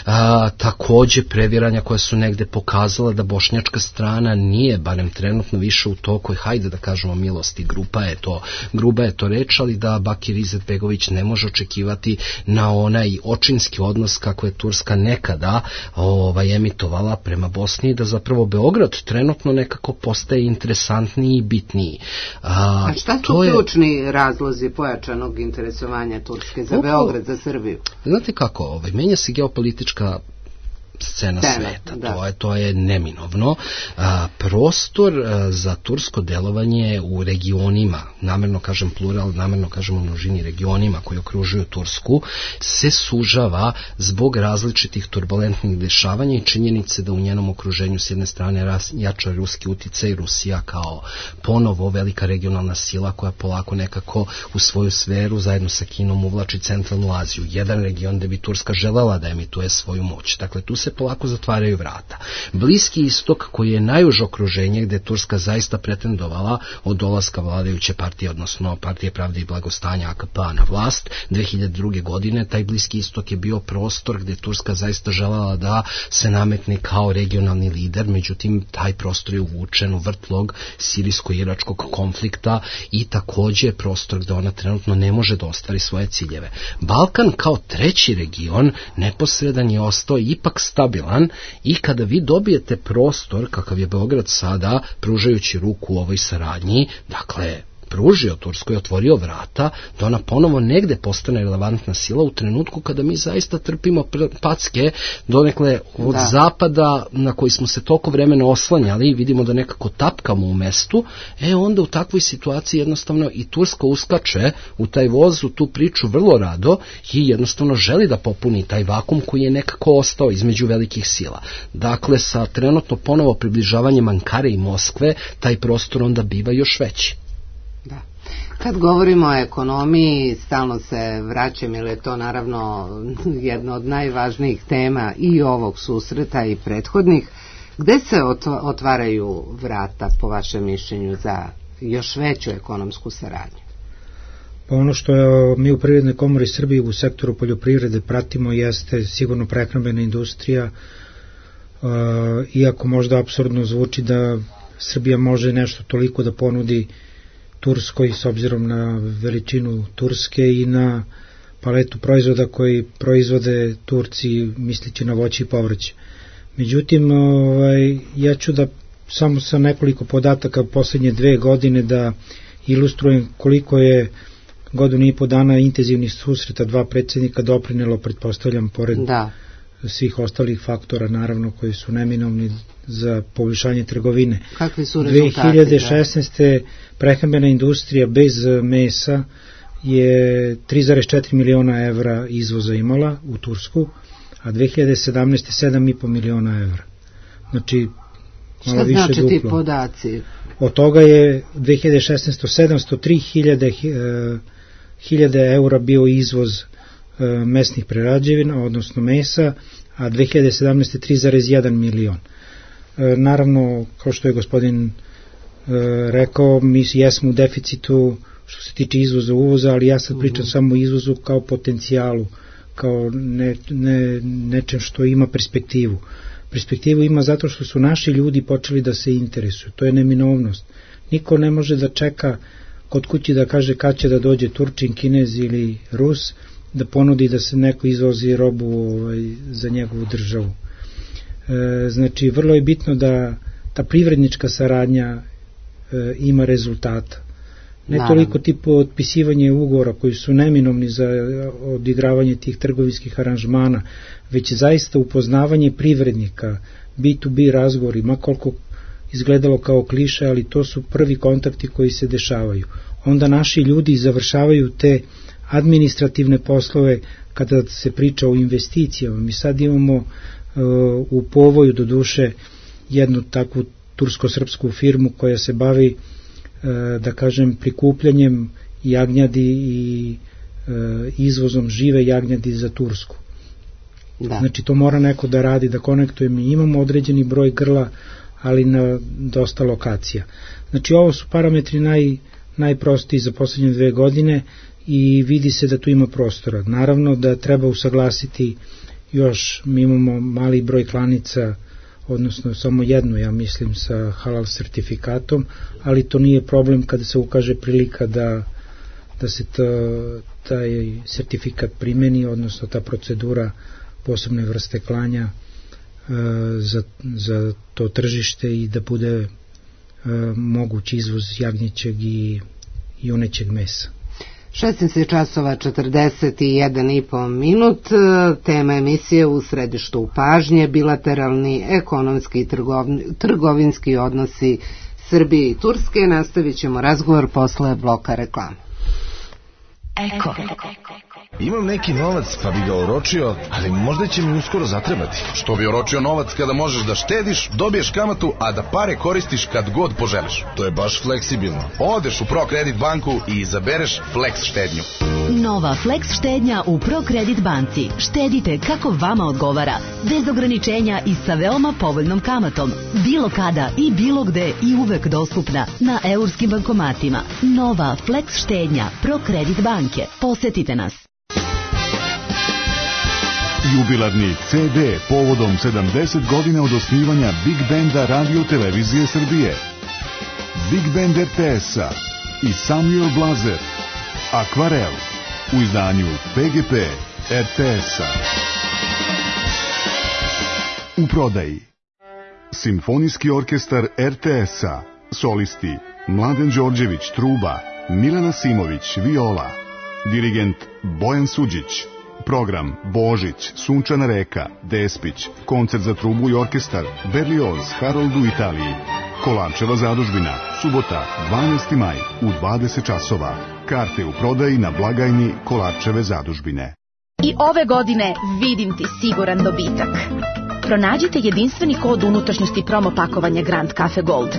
a, takođe previranja koja su negde pokazala da bošnjačka strana nije, barem trenutno, više u toku, hajde da kažemo milosti, grupa je to, gruba je to reč, ali da Bakir Izetbegović ne može očekivati na onaj očinski odnos kako je Turska nekada ovaj, emitovala prema Bosni, da zapravo Beograd trenutno nekako postaje interesantniji i bitniji. A, A šta su ključni je razlozi pojačanog interesovanja Turske za Oko, Beograd, za Srbiju? Znate kako, ovaj, menja se geopolitička scena Tene, sveta, da. to je, to je neminovno. A, prostor a, za tursko delovanje u regionima, namerno kažem plural, namerno kažem u množini regionima koji okružuju Tursku, se sužava zbog različitih turbulentnih dešavanja i činjenice da u njenom okruženju s jedne strane ras, jača ruski uticaj, Rusija kao ponovo velika regionalna sila koja polako nekako u svoju sferu zajedno sa Kinom uvlači centralnu Aziju. Jedan region gde bi Turska želela da emituje svoju moć. Dakle, tu se polako zatvaraju vrata. Bliski istok, koji je najuže okruženje gde Turska zaista pretendovala od dolaska vladajuće partije, odnosno Partije pravde i blagostanja A K P-a na vlast dve hiljade druge. godine, taj Bliski istok je bio prostor gde Turska zaista želela da se nametne kao regionalni lider, međutim taj prostor je uvučen u vrtlog sirijsko-iračkog konflikta i takođe prostor gde ona trenutno ne može da ostvari svoje ciljeve. Balkan kao treći region neposredan je ostao ipak stabilan i kada vi dobijete prostor kakav je Beograd sada, pružajući ruku u ovoj saradnji, dakle pružio Turskoj, otvorio vrata da ona ponovo negde postane relevantna sila u trenutku kada mi zaista trpimo packe donekle od da. zapada na koji smo se toliko vremena oslanjali i vidimo da nekako tapkamo u mestu, e onda u takvoj situaciji jednostavno i Turska uskače u taj voz, u tu priču vrlo rado i jednostavno želi da popuni taj vakum koji je nekako ostao između velikih sila. Dakle, sa trenutno ponovo približavanjem Ankare i Moskve, taj prostor onda biva još veći. Da. Kad govorimo o ekonomiji, stalno se vraćam, jer je to naravno jedna od najvažnijih tema i ovog susreta i prethodnih. Gde se otvaraju vrata, po vašem mišljenju, za još veću ekonomsku saradnju? Pa ono što je, mi u Privrednoj komori Srbije u sektoru poljoprivrede pratimo jeste sigurno prehrambena industrija, iako možda apsurdno zvuči da Srbija može nešto toliko da ponudi Turskoj s obzirom na veličinu Turske i na paletu proizvoda koji proizvode Turci misleći na voće i povrće. Međutim, ovaj, ja ću da samo sa nekoliko podataka poslednje dve godine da ilustrujem koliko je godinu i po dana intenzivnih susreta dva predsjednika doprinelo, pretpostavljam, pored da. svih ostalih faktora, naravno, koji su neminovni za poboljšanje trgovine. Kakvi su rezultati? dve hiljade šesnaeste. Da. prehrambena industrija bez mesa je tri zarez četiri miliona evra izvoza imala u Tursku, a dve hiljade sedamnaeste. sedam i po miliona evra. Znači, malo više duplo. Šta znači ti podaci? Od toga je dve hiljade šesnaeste. sedamsto tri hiljade eura bio izvoz e, mesnih prerađevina, odnosno mesa, a dve hiljade sedamnaeste. tri zarez jedan milion. E, naravno, kao što je gospodin e, rekao, mi jesmo u deficitu što se tiče izvoza uvoza, ali ja sad pričam uh-huh. samo o izvozu kao potencijalu, kao ne, ne, nečem što ima perspektivu. Perspektivu ima zato što su naši ljudi počeli da se interesuju. To je neminovnost. Niko ne može da čeka kod kući da kaže kad će da dođe Turčin, Kinez ili Rus, da ponudi da se neko izvozi robu ovaj, za njegovu državu. E, znači, vrlo je bitno da ta privrednička saradnja e, ima rezultata. Ne Naravno. toliko tipu otpisivanje ugovora koji su neminovni za odigravanje tih trgovinskih aranžmana, već zaista upoznavanje privrednika, B to B razgovori, ma koliko izgledalo kao kliše, ali to su prvi kontakti koji se dešavaju. Onda naši ljudi završavaju te administrativne poslove kada se priča o investicijama. Mi sad imamo uh, u Povoju do duše jednu takvu tursko-srpsku firmu koja se bavi da kažem prikupljanjem jagnjadi i e, izvozom žive jagnjadi za Tursku. Da. Znači to mora neko da radi, da konektuje. Mi imamo određeni broj grla, ali na dosta lokacija. Znači ovo su parametri naj, najprostiji za poslednje dve godine i vidi se da tu ima prostora. Naravno da treba usaglasiti još, mi imamo mali broj klanica, odnosno samo jednu, ja mislim, sa halal sertifikatom, ali to nije problem kada se ukaže prilika da, da se ta, taj sertifikat primeni, odnosno ta procedura posebne vrste klanja e, za, za to tržište i da bude e, moguć izvoz jagnjećeg i junećeg mesa. šesnaest časova četrdeset jedan i po minut, tema emisije U središtu pažnje, bilateralni ekonomski i trgovinski odnosi Srbije i Turske. Nastavit ćemo razgovor posle bloka reklama. Eko. Imam neki novac pa bi ga oročio, ali možda će mi uskoro zatrebati. Što bi oročio novac kada možeš da štediš, dobiješ kamatu, a da pare koristiš kad god poželiš? To je baš fleksibilno. Odeš u ProKredit banku i izabereš Flex štednju. Nova Flex štednja u ProKredit banci. Štedite kako vama odgovara, bez ograničenja i sa veoma povoljnom kamatom. Bilo kada i bilo gde i uvek dostupna na eurskim bankomatima. Nova Flex štednja ProKredit banke. Posetite nas. Jubilarni ce de povodom sedamdeset godina od osnivanja Big Benda Radio Televizije Srbije. Big Band er te es-a i Samuel Blazer. Akvarel u izdanju pe ge pe er te es-a. U prodaji Simfonijski orkestar er te es-a. Solisti Mladen Đorđević truba, Milena Simović viola, dirigent Bojan Suđić. Program Božić, Sunčana reka, Despić, koncert za trubu i orkestar, Berlioz, Harold u Italiji. Kolarčeva zadužbina, subota, dvanaesti maj, u dvadeset časova. Karte u prodaji na blagajni Kolarčeve zadužbine. I ove godine vidim ti siguran dobitak. Pronađite jedinstveni kod unutrašnjosti promo pakovanja Grand Cafe Gold.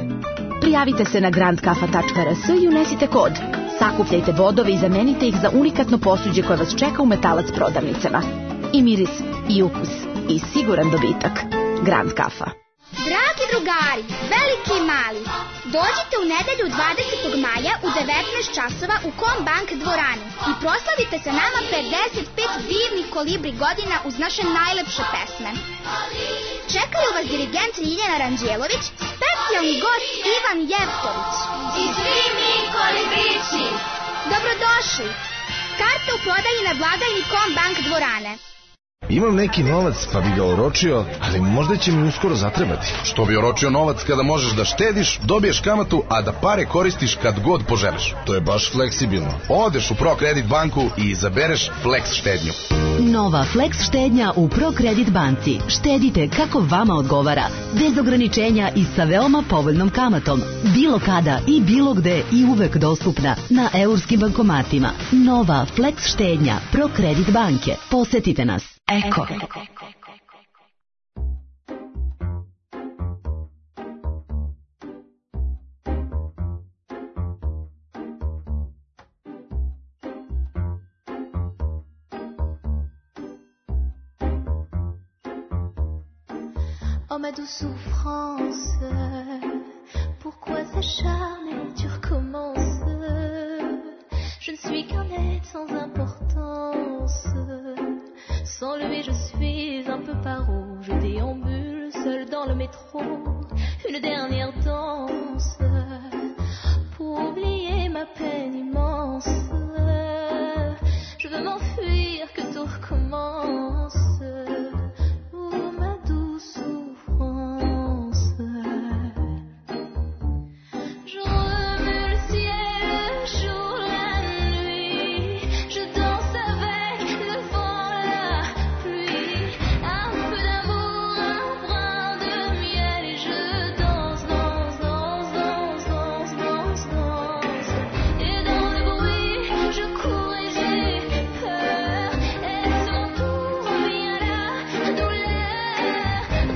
Prijavite se na grand kafa tačka er es i unesite kod. Sakupljajte bodove i zamenite ih za unikatno posuđe koje vas čeka u Metalac prodavnicama. I miris, i ukus, i siguran dobitak. Grand Kafa. Dragi drugari, veliki i mali, dođite u nedelju dvadesetog maja u devetnaest časova u Kombank dvoranu i proslavite sa nama pedeset pet divnih kolibri godina uz naše najlepše pesme. Čekaju vas dirigent Ljiljana Ranđelović, specijalni gost Ivan Jevtović i svi mi kolibrići. Dobrodošli! Karte u prodaji na blagajni Kombank dvorane. Imam neki novac pa bi ga oročio, ali možda će mi uskoro zatrebati. Što bi oročio novac kada možeš da štediš, dobiješ kamatu, a da pare koristiš kad god poželiš. To je baš fleksibilno. Odeš u ProKredit banku i izabereš Flex štednju. Nova Flex štednja u ProKredit banci. Štedite kako vama odgovara, bez ograničenja i sa veoma povoljnom kamatom. Bilo kada i bilo gde i uvek dostupna na eurskim bankomatima. Nova Flex štednja ProKredit banke. Posetite nas. Eko. Oh ma douce souffrance, pourquoi s'acharner, tu recommences. Je ne suis qu'un être sans importance. Sans lui je suis un peu paro. Je déambule seul dans le métro. Une dernière danse pour oublier ma peine immense. Je veux m'enfuir, que tout recommence. Oh ma douce souffrance. Je remue le ciel, le jour, la nuit. Je danse avec le vent, la pluie. Un peu d'amour, un brin de miel. Et je danse, danse, danse, danse, danse, danse, danse. Et dans le bruit, je cours et j'ai peur. Est-ce mon tour ou bien la douleur?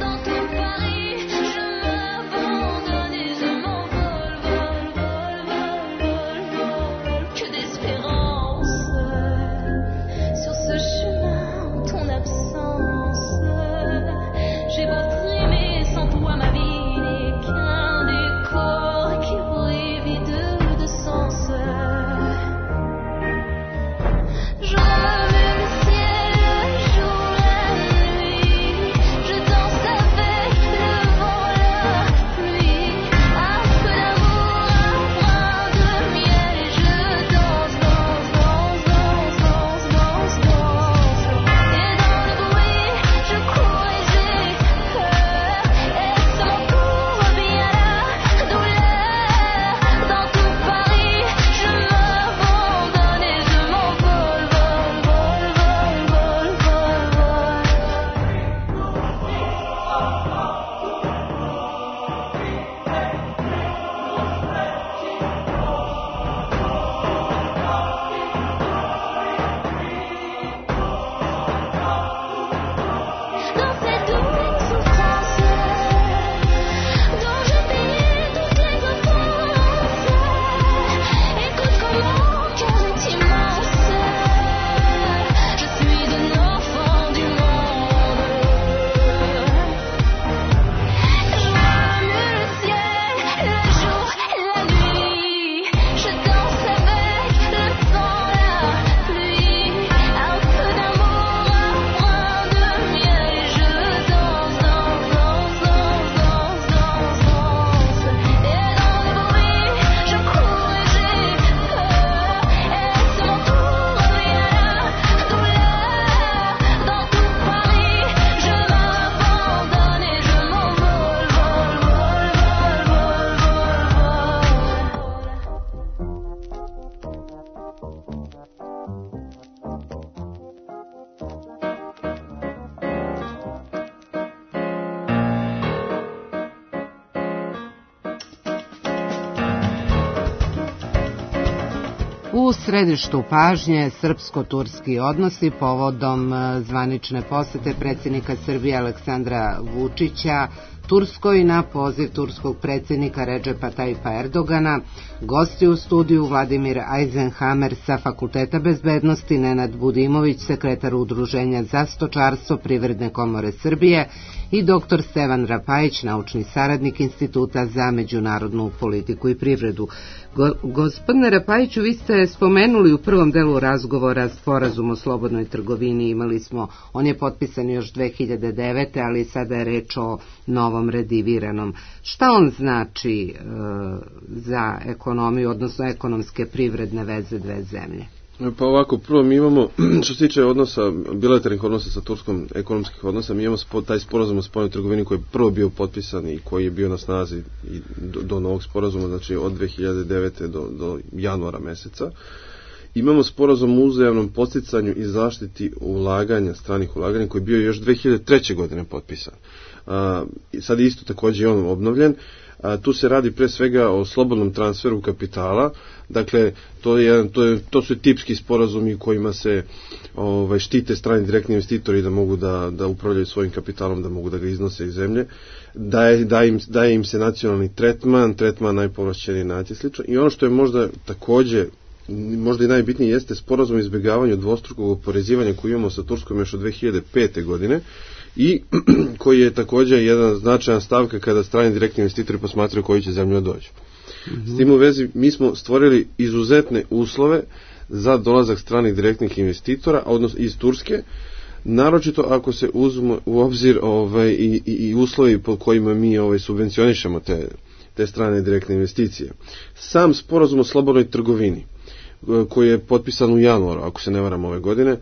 Dans tout Paris, je m'abandonne et je m'envole, vol, vol, vol, vol, vol. Que d'espérance sur ce chemin en ton absence. J'ai beau trimer sans toi, ma vie n'est qu'un décor qui brille vide de sens. Je remue le ciel, le jour, la nuit. Je danse avec le vent, la pluie. Un peu d'amour, un brin de miel. Et je danse, danse, danse, danse, danse, danse, danse. Et dans le bruit, je cours et j'ai peur. Est-ce mon tour ou bien la douleur? Dans tout Paris, je m'abandonne et je m'envole, vol, vol, vol, vol, vol, vol. Dans cette double souffrance dont je payais toutes les offenses. Écoute comment mon cœur est immense. Je suis un enfant du monde. Je remue le ciel, le jour, la nuit. Je danse avec le vent, la pluie. Un peu d'amour, un brin de miel. Et je danse, danse, danse, danse, danse, danse, danse. Et dans le bruit, je cours et j'ai peur. Est-ce mon tour ou bien la douleur? Dans tout Paris, je m'abandonne et je m'envole, vol, vol, vol, U središtu pažnje srpsko-turski odnosi povodom zvanične posete predsjednika Srbije Aleksandra Vučića Turskoj na poziv turskog predsjednika Redžepa Tajipa Erdogana. Gosti u studiju Vladimir Eisenhammer sa Fakulteta bezbednosti, Nenad Budimović, sekretar Udruženja za stočarstvo Privredne komore Srbije i doktor Stevan Rapajić, naučni saradnik Instituta za međunarodnu politiku i privredu. Go, gospodine Rapajiću, vi ste spomenuli u prvom delu razgovora sporazum o slobodnoj trgovini. Imali smo, on je potpisan još dve hiljade devete. ali sada je reč o novom rediviranom. Šta on znači e, za ekonomiju, odnosno ekonomske privredne veze dve zemlje? Pa ovako, prvo mi imamo, što se tiče odnosa, bilateralnih odnosa sa Turskom, ekonomskih odnosa, mi imamo spo, taj sporazum o spoljnoj trgovini koji je prvo bio potpisan i koji je bio na snazi i do, do novog sporazuma, znači od dve hiljade devete. do, do januara meseca. Imamo sporazum o uzajamnom podsticanju i zaštiti ulaganja, stranih ulaganja, koji je bio još dve hiljade treće. godine potpisan. A, sad je isto također on obnovljen. A, tu se radi pre svega o slobodnom transferu kapitala, dakle to, je, to, je, to su tipski sporazumi kojima se ovaj, štite strani direktni investitori da mogu da, da upravljaju svojim kapitalom, da mogu da ga iznose iz zemlje, daje, daje, im, daje im se nacionalni tretman, tretman najpovlašćeniji nacije slično. I ono što je možda također možda i najbitnije jeste sporazum o izbjegavanju dvostrukog oporezivanja koji imamo sa Turskom još od dve hiljade pete. godine i koji je također jedan značajan stavka kada strani direktni investitori posmatraju koji će zemlju dođu. Mm-hmm. S tim u vezi mi smo stvorili izuzetne uslove za dolazak stranih direktnih investitora, odnosno iz Turske, naročito ako se uzme u obzir ovaj, i, i, i uslovi po kojima mi ovaj, subvencionišemo te, te strane direktne investicije. Sam sporazum o slobodnoj trgovini koji je potpisan u januaru, ako se ne varam ove godine,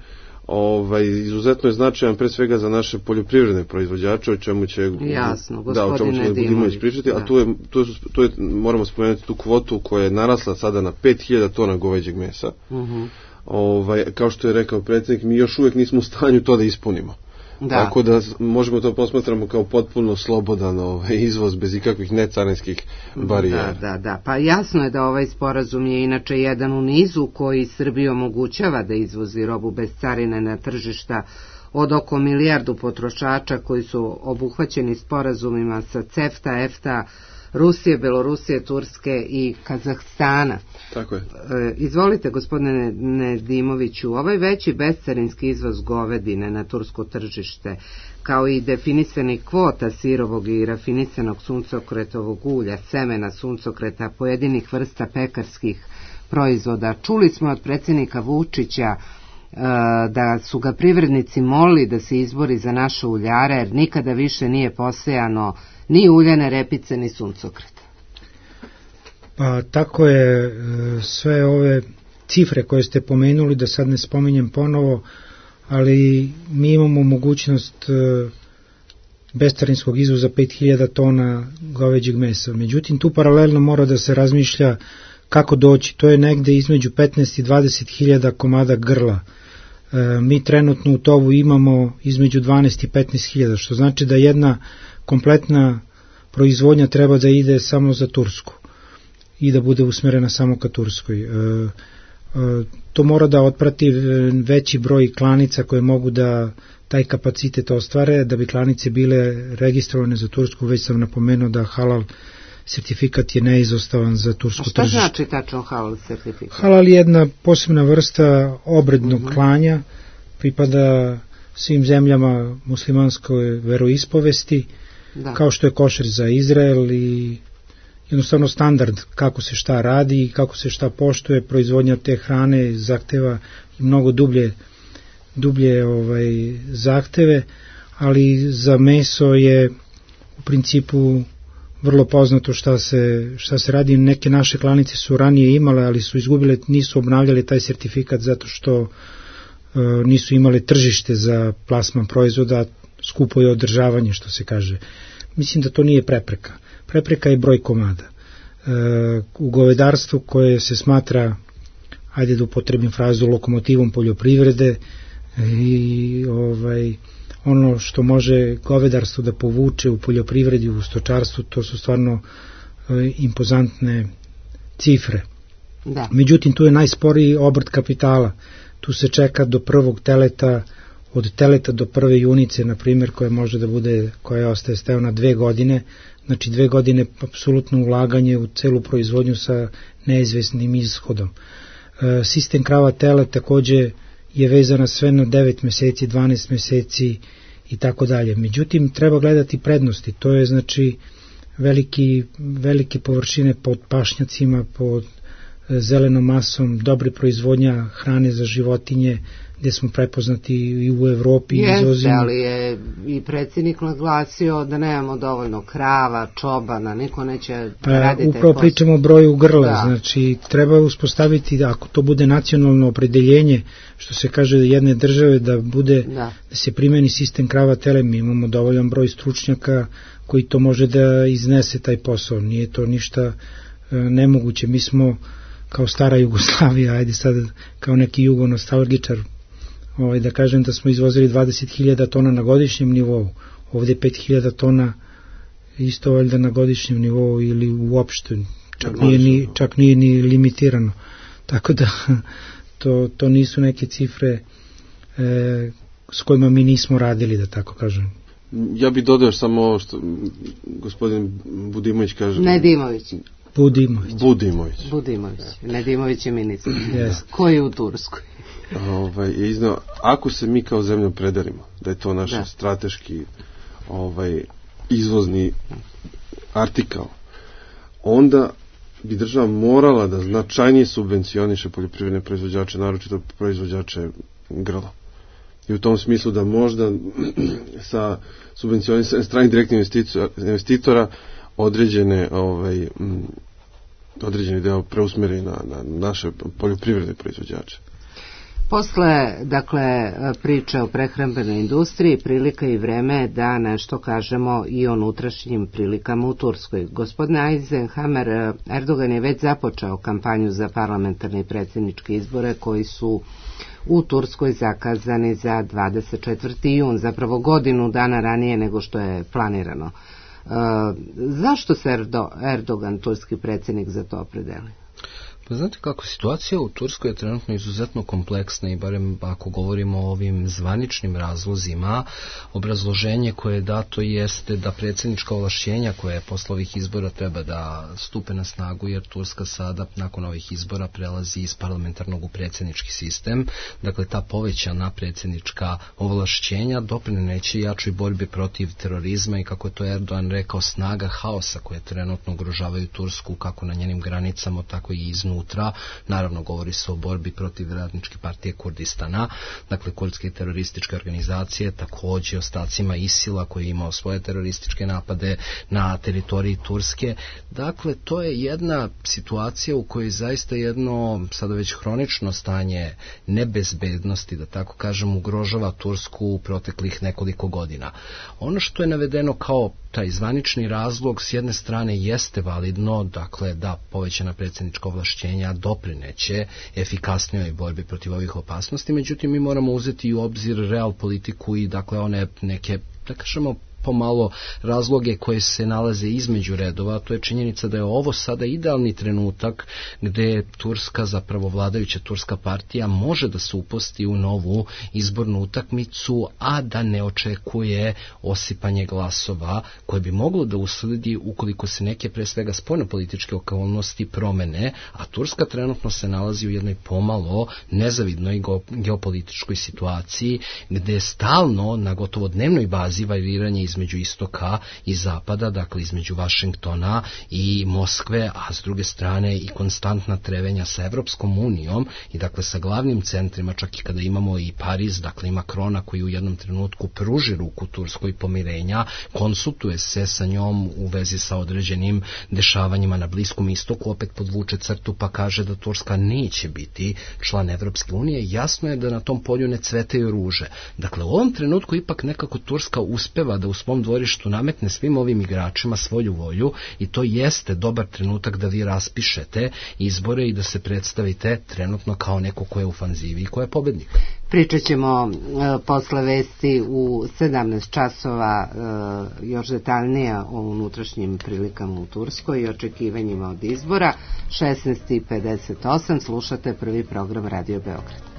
ovaj, izuzetno je značajan pre svega za naše poljoprivredne proizvođače, o čemu će, Jasno, da, o čemu će Budimović pričati, a tu je, tu, je, tu je, moramo spomenuti tu kvotu koja je narasla sada na pet hiljada tona goveđeg mesa. Uh-huh. Ovaj, kao što je rekao predsjednik, mi još uvijek nismo u stanju to da ispunimo. Da. Tako da možemo to posmatramo kao potpuno slobodan ovaj, izvoz bez ikakvih necarinskih barijera. Da, da, da. Pa jasno je da ovaj sporazum je inače jedan u nizu koji Srbiji omogućava da izvozi robu bez carine na tržišta od oko milijardu potrošača koji su obuhvaćeni sporazumima sa CEFTA, EFTA, Rusije, Belorusije, Turske i Kazahstana. Tako je. E, izvolite, gospodine Nedimoviću, ovaj veći bescarinski izvoz govedine na tursko tržište, kao i definisani kvota sirovog i rafinisanog suncokretovog ulja, semena suncokreta, pojedinih vrsta pekarskih proizvoda. Čuli smo od predsjednika Vučića e, da su ga privrednici molili da se izbori za naše uljare, jer nikada više nije posejano ni uljane repice, ni suncokret. Pa tako je, sve ove cifre koje ste pomenuli, da sad ne spominjem ponovo, ali mi imamo mogućnost bescarinskog izvoza pet hiljada tona goveđeg mesa. Međutim, tu paralelno mora da se razmišlja kako doći. To je negde između petnaest i dvadeset hiljada komada grla. Mi trenutno u tovu imamo između dvanaest i petnaest hiljada, što znači da jedna kompletna proizvodnja treba da ide samo za Tursku i da bude usmerena samo ka Turskoj. E, e, to mora da otprati veći broj klanica koje mogu da taj kapacitet ostvare, da bi klanice bile registrovane za Tursku. Već sam napomenuo da halal sertifikat je neizostavan za tursko tržište. A šta znači tačno halal sertifikat? Halal je jedna posebna vrsta obrednog uh-huh. klanja, pripada svim zemljama muslimanskoj veroispovesti, da. Kao što je košer za Izrael i jednostavno standard kako se šta radi i kako se šta poštuje. Proizvodnja te hrane zahteva i mnogo dublje, dublje ovaj, zahteve, ali za meso je u principu vrlo poznato šta se, šta se radi. Neke naše klanice su ranije imale, ali su izgubile, nisu obnavljale taj sertifikat zato što e, nisu imale tržište za plasman proizvoda, skupo je održavanje, što se kaže. Mislim da to nije prepreka. Prepreka je broj komada. E, u govedarstvu koje se smatra, ajde da upotrebim frazu, lokomotivom poljoprivrede i ovaj, ono što može govedarstvo da povuče u poljoprivredi, u stočarstvu, to su stvarno e, impozantne cifre. Da. Međutim, tu je najsporiji obrt kapitala. Tu se čeka do prvog teleta od teleta do prve junice, na primjer, koja može da bude, koja ostaje steo na dve godine, znači dve godine apsolutno ulaganje u celu proizvodnju sa neizvesnim ishodom. E, sistem krava tele takođe je vezana sve na devet meseci, dvanaest meseci i tako dalje. Međutim, treba gledati prednosti, to je znači veliki, velike površine pod pašnjacima, pod zelenom masom, dobre proizvodnja hrane za životinje, gde smo prepoznati i u Evropi. Jeste, ali je i predsjednik naglasio da nemamo dovoljno krava, čobana, niko neće pa, raditi. Upravo pričamo o broju grla, da. Znači treba uspostaviti, da ako to bude nacionalno opredeljenje, što se kaže jedne države, da bude, da, da se primeni sistem krava tele, mi imamo dovoljan broj stručnjaka koji to može da iznese taj posao, nije to ništa e, nemoguće. Mi smo kao stara Jugoslavija, ajde sad kao neki jugonostalgičar, ovaj, da kažem da smo izvozili dvadeset hiljada tona na godišnjem nivou, ovde pet hiljada tona isto valjda na godišnjem nivou ili uopšte, čak nije ni, čak nije ni limitirano. Tako da to, to nisu neke cifre e, s kojima mi nismo radili, da tako kažem. Ja bih dodao samo ovo što gospodin Budimović kaže. Nedimović. Budimović. Budimović. Budimović. Nedimović je ministar. Yes. Koji je u Turskoj? Ovaj, je iznao, ako se mi kao zemlja predelimo, da je to naš da. strateški ovaj, izvozni artikal, onda bi država morala da značajnije subvencioniše poljoprivredne proizvođače, naročito proizvođače grla. I u tom smislu da možda sa subvencionisanjem stranih direktnih investitora određene ovaj, određeni deo preusmeri na, na naše poljoprivredne proizvođače. Posle, dakle, priče o prehrambenoj industriji, prilika i vreme da nešto kažemo i o unutrašnjim prilikama u Turskoj. Gospodine Eisenhammer, Erdogan je već započeo kampanju za parlamentarne i predsjedničke izbore koji su u Turskoj zakazani za dvadeset četvrti jun, zapravo godinu dana ranije nego što je planirano. E, zašto se Erdo, Erdogan, turski predsjednik, za to opredeli? Pa znate kako, situacija u Turskoj je trenutno izuzetno kompleksna i barem ako govorimo o ovim zvaničnim razlozima, obrazloženje koje je dato jeste da predsjednička ovlašćenja koje posle ovih izbora treba da stupe na snagu, jer Turska sada nakon ovih izbora prelazi iz parlamentarnog u predsjednički sistem, dakle ta povećana predsjednička ovlašćenja doprineće jačoj borbi protiv terorizma i, kako je to Erdogan rekao, snaga haosa koje trenutno ugrožavaju Tursku kako na njenim granicama, tako i iznutra. Naravno, govori se o borbi protiv radničke partije Kurdistana, dakle kurdske terorističke organizacije, takođe ostacima Isila koji je imao svoje terorističke napade na teritoriji Turske. Dakle, to je jedna situacija u kojoj zaista jedno sada već hronično stanje nebezbednosti, da tako kažem, ugrožava Tursku u proteklih nekoliko godina. Ono što je navedeno kao taj zvanični razlog s jedne strane jeste validno, dakle da povećana predsjednička ovlašćenja doprineće efikasnijoj borbi protiv ovih opasnosti, međutim mi moramo uzeti u obzir real politiku i dakle one neke, da kažemo, pomalo razloge koje se nalaze između redova. To je činjenica da je ovo sada idealni trenutak gde Turska, zapravo vladajuća turska partija, može da se upusti u novu izbornu utakmicu, a da ne očekuje osipanje glasova koje bi moglo da usledi ukoliko se neke pre svega spoljnopolitičke okolnosti promene, a Turska trenutno se nalazi u jednoj pomalo nezavidnoj geopolitičkoj situaciji gde stalno na gotovo dnevnoj bazi variranje iz između istoka i zapada, dakle između Vašingtona i Moskve, a s druge strane i konstantna trevenja sa Evropskom unijom i dakle sa glavnim centrima, čak i kada imamo i Pariz, dakle i Makrona koji u jednom trenutku pruži ruku Turskoj pomirenja, konsultuje se sa njom u vezi sa određenim dešavanjima na Bliskom istoku, opet podvuče crtu pa kaže da Turska neće biti član Evropske unije, jasno je da na tom polju ne cvetaju ruže. Dakle, u ovom trenutku ipak nekako Turska uspeva da u svom dvorištu nametne svim ovim igračima svoju volju i to jeste dobar trenutak da vi raspišete izbore i da se predstavite trenutno kao neko ko je u ofanzivi i ko je pobednik. Pričat ćemo e, posle vesti u sedamnaest časova e, još detaljnije o unutrašnjim prilikama u Turskoj i očekivanjima od izbora. šesnaest i pedeset osam slušate prvi program Radio Beograd.